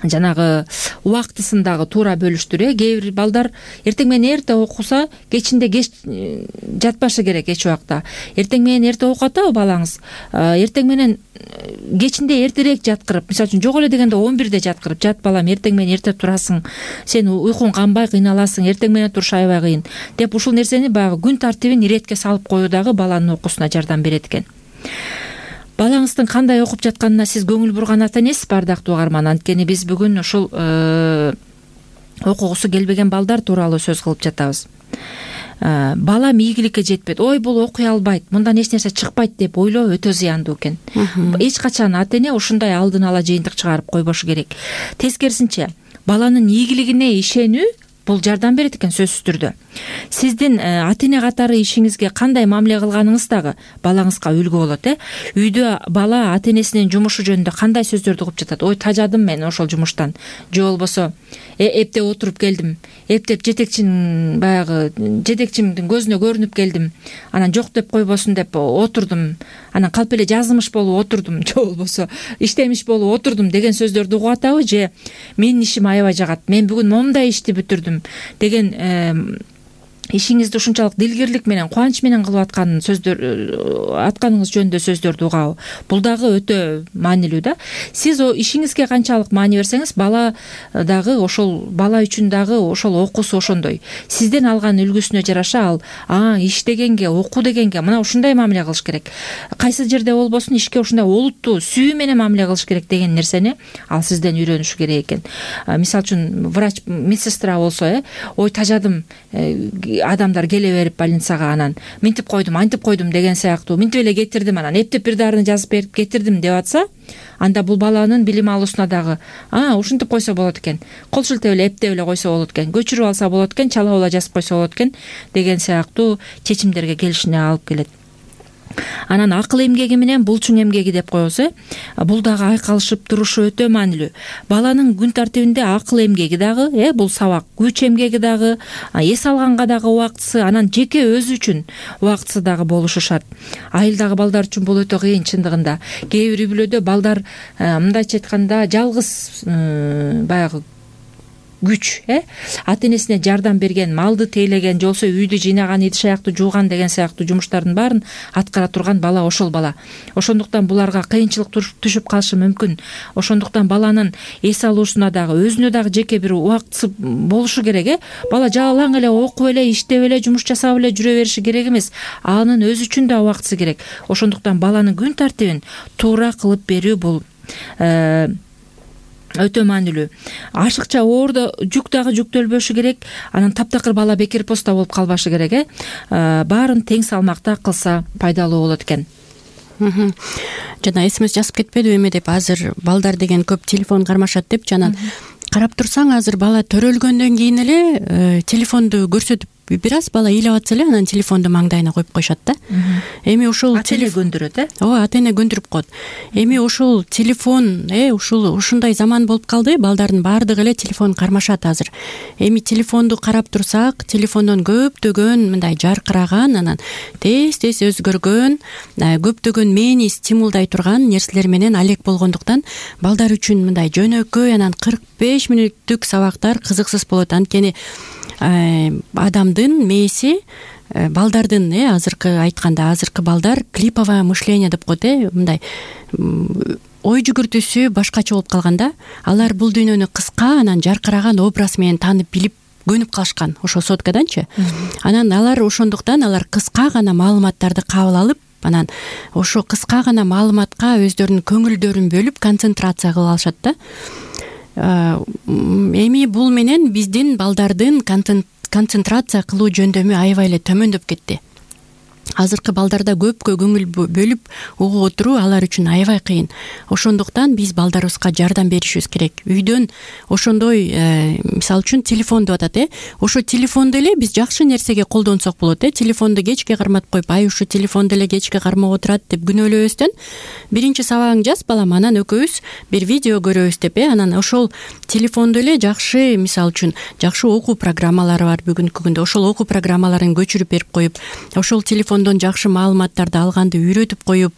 жанагы убактысын дагы туура бөлүштүр. э Кээ бир балдар эртең менен эрте окуса кечинде кеч жатпашы керек эч убакта. Эртең менен эрте окуп атабы балаңыз? Эртең менен кечинде эртерээк жаткырып, мисалы үчүн жок эле дегенде он бирде жаткырып, жат балам эртең менен эрте турасың, сен уйкуң канбай кыйналасың, эртең менен туруш аябай кыйын деп ушул нерсени баягы күн тартибин иретке салып коюу дагы баланын окуусуна жардам берет экен. Балаңыздын кандай окуп жатканына сиз көңүл бурган ата энесиз, бардактуу угарман. Анткени биз бүгүн ушул окугусу келбеген балдар тууралуу сөз кылып жатабыз. Балам ийгиликке жетпейт, ой бул окуй албайт, мындан эч нерсе чыкпайт деп ойлоо өтө зыяндуу экен. Эч качан ата эне ушундай алдын ала жыйынтык чыгарып койбошу керек. Тескерисинче, баланын ийгилигине ишенүү бул жардам берет экен сөзсүз түрдө. Сиздин ата эне катары ишиңизге кандай мамиле кылганыңыз дагы балаңызга үлгү болот. э Үйдө бала ата энесинин жумушу жөнүндө кандай сөздөрдү угуп жатат? Ой, тажадым мен ошол жумуштан. Же болбосо эптеп отуруп келдим, эптеп жетекчинин баягы жетекчимдин көзүнө көрүнүп келдим, анан жок деп койбосун деп отурдум, анан калп эле жазымыш болуп отурдум, же болбосо иштемиш болуп отурдум деген сөздөрдү угуп атабы? Же менин ишим аябай жагат, мен бүгүн момундай ишти бүтүрдүм деген ишиңизди ушунчалык дилгирлик менен, кубанч менен кылып аткан сөздөр атканыңыз жөнүндө сөздөрдү угабы? Бул дагы өтө маанилүү да. Сиз ишиңизге канчалык маани берсеңиз, бала дагы ошол бала үчүн дагы ошол окуусу ошондой. Сизден алган үлгүсүнө жараша ал а иш дегенге, окуу дегенге мына ушундай мамиле кылыш керек. Кайсы жерде болбосун ишке ушундай олуттуу сүйүү менен мамиле кылыш керек деген нерсени ал сизден үйрөнүшү керек экен. Мисалы үчүн врач, медсестра болсо, э ой тажадым, адамдар келе берип больницага, анан минтип койдум, антип койдум деген сыяктуу, минтип эле кетирдим, анан эптеп бир дарыны жазып берип кетирдим деп атса, анда бул баланын билим алуусуна дагы а ушинтип койсо болот экен, кол шилтеп эле эптеп эле койсо болот экен, көчүрүп алса болот экен, чалап эле жазып койсо болот экен деген сыяктуу чечимдерге келишине алып келет. Анан акыл эмгеги менен булчуң эмгеги деп коебуз. э Бул дагы айкалышып турушу өтө маанилүү. Баланын күн тартибинде акыл эмгеги дагы, э бул сабак, күч эмгеги дагы, эс алганга дагы убактысы, анан жеке өзү үчүн убактысы дагы болушу шарт. Айылдагы балдар үчүн бул өтө кыйын чындыгында. Кээ бир үй бүлөдө балдар мындайча айтканда жалгыз баягы күч, э ата энесине жардам берген, малды тейлеген, же болбосо үйдү жыйнаган, идиш аяктуу жууган деген сыяктуу жумуштардын баарын аткара турган бала ошол бала. Ошондуктан буларга кыйынчылык түшүп калышы мүмкүн. Ошондуктан баланын эс алуусуна дагы, өзүнө дагы жеке бир убактысы болушу керек. э Бала жалаң эле окуп эле, иштеп эле, жумуш жасап эле жүрө бериши керек эмес. Анын өзү үчүн да убактысы керек. Ошондуктан баланын күн тартибин туура кылып берүү бул өтө маанилүү. Ашыкча оордо жүк дагы жүктөлбөшү керек. Анан таптакыр бала бекер поста болуп калбашы керек. э Баарын тең салмакта кылса пайдалуу болот экен. Жана эсимиз жазып кетпедиби эме деп, азыр балдар деген көп телефон кармашат деп, жана карап турсаң азыр бала төрөлгөндөн кийин эле телефонду көрсөтүп, бир аз бала ыйлап атса эле анан телефонду маңдайына коюп коюшат да. Эми ушул ата эне көндүрөт, э ооба, ата эне көндүрүп коет. Эми ушул телефон, э ушул ушундай заман болуп калды, балдардын баардыгы эле телефон кармашат азыр. Эми телефонду карап турсак, телефондон көптөгөн мындай жаркыраган, анан тез тез өзгөргөн, көптөгөн мээни стимулдай турган нерселер менен алек болгондуктан балдар үчүн мындай жөнөкөй, анан кырк беш мүнөттүк сабактар кызыксыз болот. Анткени адамдын мээси, балдардын, э азыркы айтканда, азыркы балдар клиповое мышление деп коет, э мындай ой жүгүртүүсү башкача болуп калганда, алар бул дүйнөнү кыска, анан жаркыраган образ менен таанып билип көнүп калышкан, ошо соткаданчы. Анан алар ошондуктан алар кыска гана маалыматтарды кабыл алып, анан ошо кыска гана маалыматка өздөрүнүн көңүлдөрүн бөлүп концентрация кылып алышат да. Эми бул менен биздин балдардын концентрация кылуу жөндөмү аябай эле төмөндөп кетти. Азыркы балдарда көпкө көңүл бөлүп угуп отуруу алар үчүн аябай кыйын. Ошондуктан биз балдарыбызга жардам беришибиз керек. Үйдөн ошондой, мисалы үчүн телефон деп атат, э ошо телефонду эле биз жакшы нерсеге колдонсок болот, э телефонду кечке карматып коюп, ай ушу телефонду эле кечке кармап отурат деп күнөөлөбөстөн, биринчи сабагың жаз балам, анан экөөбүз бир видео көрөбүз деп, э анан ошол телефонду эле жакшы, мисалы үчүн жакшы окуу программалары бар бүгүнкү күндө, ошол окуу программаларын көчүрүп берип коюп, ошол телефон телефондон жакшы маалыматтарды алганды үйрөтүп коюп,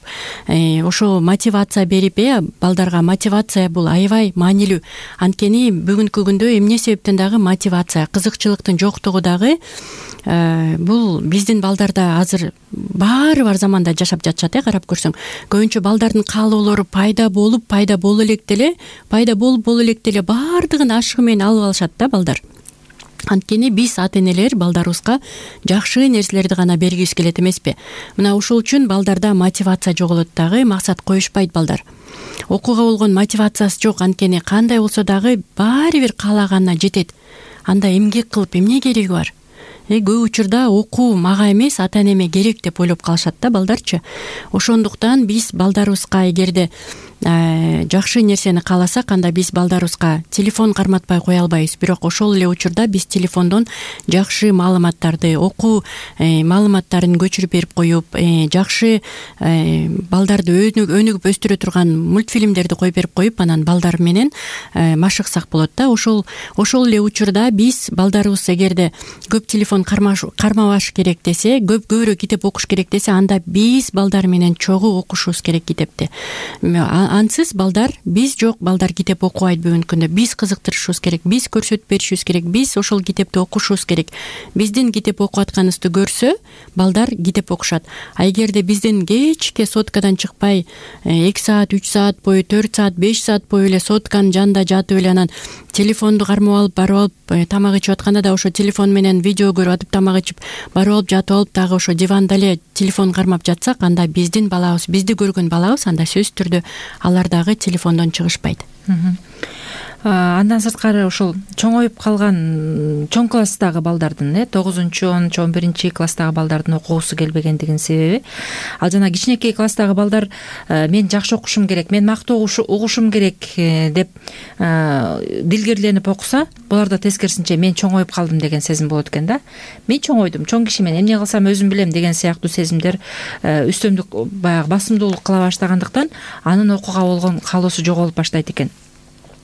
ошо мотивация берип, э балдарга мотивация бул аябай маанилүү. Анткени бүгүнкү күндө эмне себептен дагы мотивация, кызыкчылыктын жоктугу дагы бул биздин балдарда азыр баары бар заманда жашап жатышат. Э карап көрсөң, көбүнчө балдардын каалоолору пайда болуп, пайда боло элек деле, пайда болуп боло элек деле баардыгын ашыгы менен алып алышат да балдар. Анткени биз ата-энелер балдарыбызга жакшы нерселерди гана бергибиз келет эмеспи? Мына ушул үчүн балдарда мотивация жоголот дагы, максат коюшпайт балдар. Окууга болгон мотивациясы жок, анткени кандай болсо дагы баары бир каалаганына жетет. Анда эмгек кылып эмне кереги бар? Көп учурда окуу мага эмес, ата-энеме керек деп ойлоп калышат да балдарчы. Ошондуктан биз балдарыбызга эгерде жакшы нерсени кааласак, анда биз балдарыбызга телефон карматпай кое албайбыз. Бирок ошол эле учурда биз телефондон жакшы маалыматтарды, окуу маалыматтарын көчүрүп берип коюп, жакшы балдарды өнүгүп өстүрө турган мультфильмдерди коюп берип коюп, анан балдар менен машыксак болот да. Ошол ошол эле учурда биз балдарыбыз эгерде көп телефон кармабаш керек десе, көп көбүрөөк китеп окуш керек десе, анда биз балдар менен чогуу окушубуз керек китепти. Ансыз балдар, биз жок, балдар китеп окубайт бүгүнкү күндө. Биз кызыктырышыбыз керек, биз көрсөтүп беришибиз керек, биз ошол китепти окушубуз керек. Биздин китеп окуп атканыбызды көрсө, балдар китеп окушат. А эгерде биздин кечке соткадан чыкпай, эки саат, үч саат бою, төрт саат, беш саат бою эле сотканын жанында жатып эле анан телефонду кармап алып, барып алып, тамак ичип атканда да ошо телефон менен видео көрүп атып, тамак ичип, барып алып жатып алып, дагы ошо диванда эле телефон кармап жатсак, анда биздин балабыз, бизди көргөн балабыз анда сөзсүз түрдө алар дагы телефондон чыгышпайт. Андан сырткары ошол чоңоюп калган чоң класстагы балдардын, э тогузунчу, онунчу, он биринчи класстагы балдардын окугусу келбегендигинин себеби, ал жана кичинекей класстагы балдар мен жакшы окушум керек, мен мактуу угушум керек деп дилгерленип окуса, буларда тескерисинче мен чоңоюп калдым деген сезим болот экен да. Мен чоңойдум, чоң кишимен эмне кылсам өзүм билем деген сыяктуу сезимдер үстөмдүк баягы басымдуулук кыла баштагандыктан анын окууга болгон каалоосу жоголуп баштайт экен.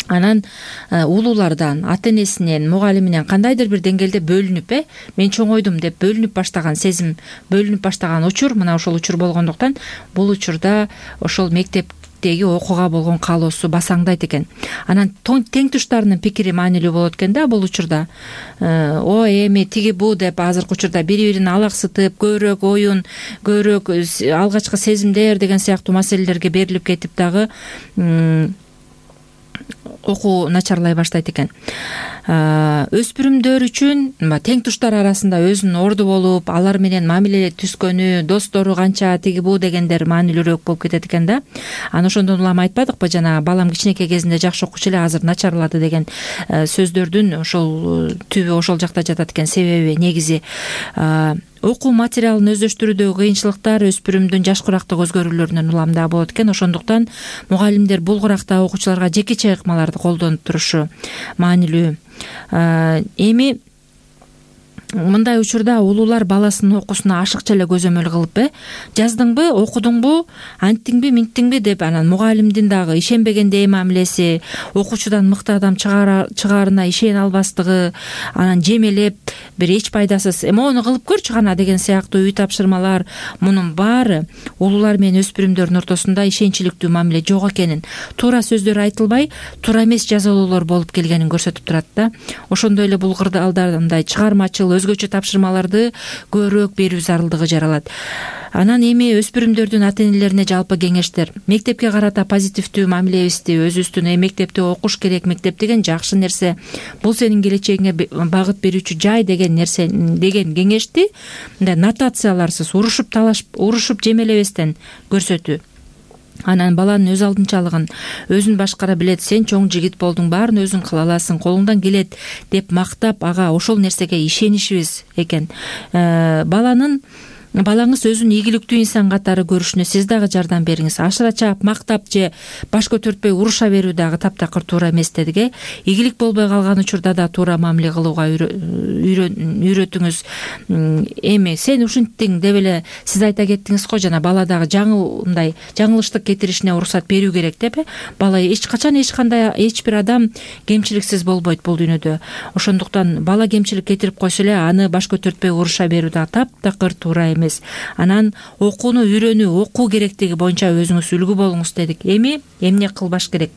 Анан улуулардан, ата-энесинен, мугалиминен кандайдыр бир деңгээлде бөлүнүп, э мен чоңойдум деп бөлүнүп баштаган сезим, бөлүнүп баштаган учур, мына ошол учур болгондуктан бул учурда ошол мектептеги окууга болгон каалоосу басаңдайт экен. Анан тең туштарынын пикири маанилүү болот экен да бул учурда. О эми тиги бу деп азыркы учурда бири-бирин алаксытып, көбүрөөк оюн, көбүрөөк алгачкы сезимдер деген сыяктуу маселелерге берилип кетип дагы окуу начарлай баштайт экен. Өспүрүмдөр үчүн тең туштар арасында өзүнүн орду болуп, алар менен мамиле түзгөнү, достору канча, тиги бу дегендер маанилүүрөөк болуп кетет экен да. Анан ошондон улам айтпадыкпы, жана балам кичинекей кезинде жакшы окучу эле, азыр начарлады деген сөздөрдүн ошол түбү ошол жакта жатат экен. Себеби негизи окуу материалын өздөштүрүүдөгү кыйынчылыктар өспүрүмдүн жаш курактык өзгөрүүлөрүнөн уламда болот экен. Ошондуктан мугалимдер бул куракта окуучуларга жеке чыйыкмаларды колдонуп турушу маанилүү. Эми мындай учурда улуулар баласынын окуусуна ашыкча эле көзөмөл кылып, э жаздыңбы, окудуңбу, анттиңби, минттиңби деп анан мугалимдин дагы ишенбегендей мамилеси, окуучудан мыкты адам чыгаарына ишене албастыгы, анан жемелеп бир эч пайдасыз эмоону кылып көрчү гана деген сыяктуу үй тапшырмалар, мунун баары улуулар менен өспүрүмдөрдүн ортосунда ишенчиликтүү мамиле жок экенин, туура сөздөр айтылбай, туура эмес жазалоолор болуп келгенин көрсөтүп турат да. Ошондой эле бул кырдаалдардай чыгармачыл, өзгөчө тапшырмаларды көбүрөөк берүү зарылдыгы жаралат. Анан эми өспүрүмдөрдүн ата-энелерине жалпы кеңештер: мектепке карата позитивдүү мамилебизди өзүбүздүн мектепте окуш керек, мектеп деген жакшы нерсе, бул сенин келечегиңе багыт берүүчү жай деген нерсе деген кеңешти мындай нотацияларсыз, урушуп талашып, урушуп жемелебестен көрсөтүү. Анан баланын өз алдынчалыгын, өзүн башкара билет, сен чоң жигит болдуң, баарын өзүң кыла аласың, колуңдан келет деп мактап, ага ошол нерсеге ишенишибиз экен. Баланын балаңыз өзүн ийгиликтүү инсан катары көрүшүнө сиз дагы жардам бериңиз. Ашыра чаап, мактап же баш көтөртпөй уруша берүү дагы таптакыр туура эмес дедик, э. Ийгилик болбой калган учурда да туура мамиле кылууга үйрөтүңүз. Эми сен ушинттиң деп эле сиз айта кеттиңиз го, жана бала дагы жаңыл мындай жаңылыштык кетиришине уруксат берүү керек деп, э. Бала эч качан эч кандай эч бир адам кемчиликсиз болбойт бул дүйнөдө. Ошондуктан бала кемчилик кетирип койсо эле аны баш көтөртпөй уруша берүү дагы таптакыр туура эмес эмес. Анан окууну үйрөнүү, окуу керектиги боюнча өзүңүз үлгү болуңуз дедик. Эми эмне кылбаш керек?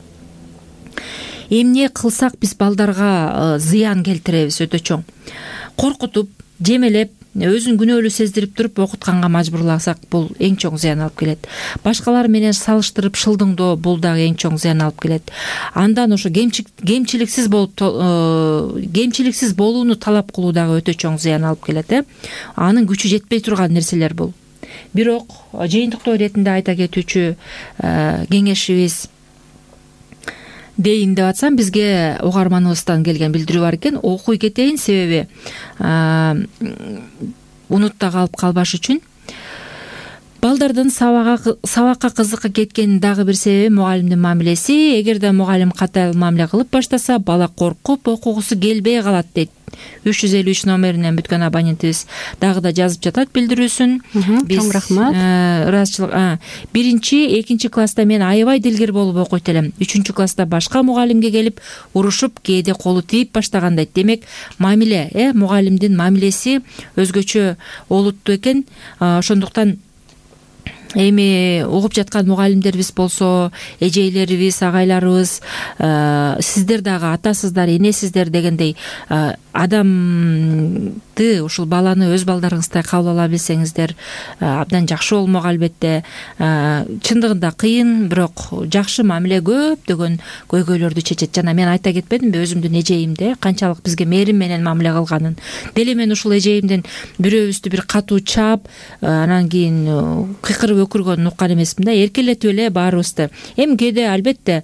Эмне кылсак биз балдарга зыян келтиребиз өтө чоң? Коркутуп, жемелеп, өзүн күнөөлүү сездирип туруп окутканга мажбурласак, бул эң чоң зыян алып келет. Башкалар менен салыштырып шылдыңдоо, бул дагы эң чоң зыян алып келет. Андан ошо кемчиликсиз болуп кемчиликсиз болууну талап кылуу дагы өтө чоң зыян алып келет. Э анын күчү жетпей турган нерселер бул. Бирок жыйынтыктоо иретинде айта кетүүчү кеңешибиз дейин деп атсам, бизге угарманыбыздан келген билдирүү бар экен. Окуй кетейин, себеби унутта калып калбаш үчүн. Балдардын сабакка кызыкка кеткенин дагы бир себеби мугалимдин мамилеси. Эгерде мугалим катаал мамиле кылып баштаса, бала коркуп окугусу келбей калат дейт. үч жүз элүү үч номеринен бүткөн абонентибиз дагы да жазып жатат билдирүүсүн. Чоң рахмат. Ыраазычылык. Биринчи, экинчи класста мен аябай дилгер болуп окуйт элем. Үчүнчү класста башка мугалимге келип урушуп, кээде колу тийип баштаган дейт. Демек, мамиле, э мугалимдин мамилеси өзгөчө олуттуу экен. Ошондуктан эми угуп жаткан мугалимдерибиз болсо, эжейлерибиз, агайларыбыз, сиздер дагы атасыздар, энесиздер дегендей адамды, ушул баланы өз балдарыңыздай кабыл ала билсеңиздер абдан жакшы болмок. Албетте чындыгында кыйын, бирок жакшы мамиле көптөгөн көйгөйлөрдү чечет. Жана мен айта кетпедимби өзүмдүн эжейимде канчалык бизге мээрим менен мамиле кылганын. Деле мен ушул эжейимден бирөөбүздү бир катуу чаап, анан кийин кыйкырып өкүргөнүн уккан эмесмин да. Эркелетип эле баарыбызды. Эми кээде албетте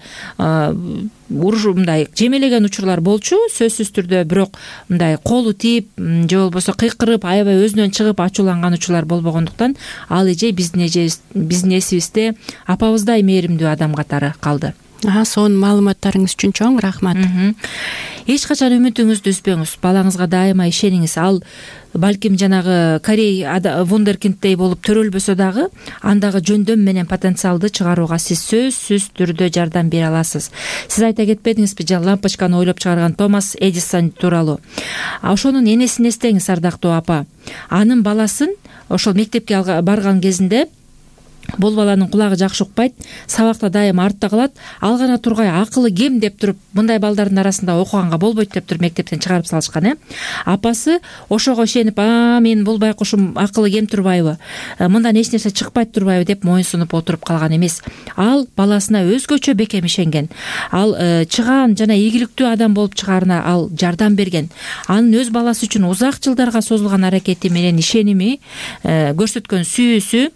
уруш мындай жемелеген учурлар болчу, сөзсүз түрдө, бирок мындай колу тийип же болбосо кыйкырып, аябай өзүнөн чыгып ачууланган учурлар болбогондуктан ал эжей биздин эжебиз, биздин эсибизде апабыздай мээримдүү адам катары калды. Сонун маалыматтарыңыз үчүн чоң рахмат. Эч качан үмүтүңүздү үзбөңүз. Балаңызга дайыма ишениңиз. Ал балким жанагы Корей вундеркинддей болуп төрөлбөсө дагы, андагы жөндөм менен потенциалды чыгарууга сиз сөзсүз түрдө жардам бере аласыз. Сиз айта кетпедиңизби, лампочканы ойлоп чыгарган Томас Эдисон тууралуу? Ошонун энесин эстеңиз, ардактуу апа. Анын баласын ошол мектепке барган кезинде бул баланын кулагы жакшы укпайт, сабакта дайым артта калат. Ал гана тургай акылы кем деп туруп, мындай балдардын арасында окуганга болбойт деп туруп мектептен чыгарып салышкан. Э апасы ошого ишенип, а мен бул байкушум акылы кем турбайбы, мындан эч нерсе чыкпайт турбайбы деп моюн сунуп отуруп калган эмес. Ал баласына өзгөчө бекем ишенген. Ал чыгаан жана ийгиликтүү адам болуп чыгаарына ал жардам берген. Анын өз баласы үчүн узак жылдарга созулган аракети менен ишеними көрсөткөн сүйүүсү,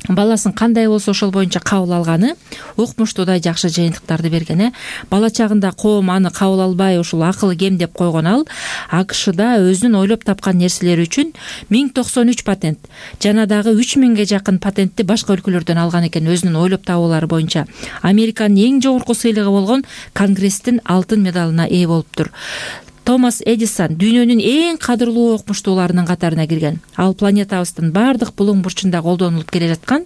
баласын кандай болсо ошол боюнча кабыл алганы укмуштуудай жакшы жыйынтыктарды берген. Бала чагында коом аны кабыл албай, ушул акылы кем деп койгон ал АКШда өзүнүн ойлоп тапкан нерселери үчүн миң токсон үч патент жана дагы үч миңге жакын патентти башка өлкөлөрдөн алган экен. Өзүнүн ойлоп табуулары боюнча Американын эң жогорку сыйлыгы болгон Конгресстин алтын медалына ээ болуптур. Томас Эдисон дүйнөнүн эң кадырлуу окумуштууларынын катарына кирген. Ал планетабыздын бардык булуң бурчунда колдонулуп келе жаткан,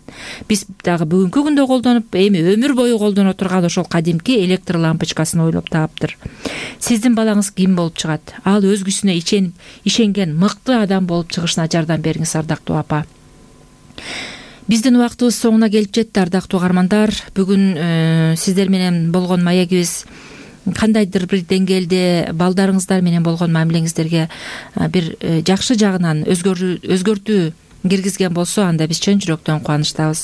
биз дагы бүгүнкү күндө колдонуп, эми өмүр бою колдоно турган ошол кадимки электр лампочкасын ойлоп таптыр. Сиздин балаңыз ким болуп чыгат? Ал өзгүсүнө ишенип, ишенген мыкты адам болуп чыгышына жардам бериңиз, ардактуу апа. Биздин убактыбыз соңуна келип жетти, ардактуу угармандар. Бүгүн сиздер менен болгон маегибиз кандайдыр бир деңгээлде балдарыңыздар менен болгон мамилеңиздерге бир жакшы жагынан өзгөртүү киргизген болсо, анда биз чын жүрөктөн кубанычтабыз.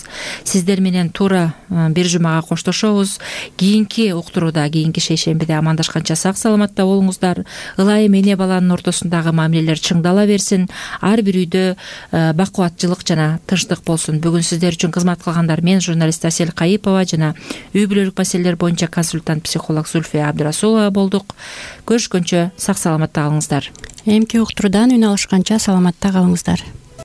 Сиздер менен туура бир жумага коштошобуз. Кийинки уктурууда, кийинки шейшембиде амандашканча сак саламатта болуңуздар. Ылайым эне баланын ортосундагы мамилелер чыңдала берсин. Ар бир үйдө бакубатчылык жана тынчтык болсун. Бүгүн сиздер үчүн кызмат кылгандар мен, журналист Асель Кайыпова жана үй бүлөлүк маселелер боюнча консультант психолог Зульфия Абдырасулова болдук. Көрүшкөнчө сак саламатта калыңыздар. Эмки уктуруудан үн алышканча саламатта калыңыздар.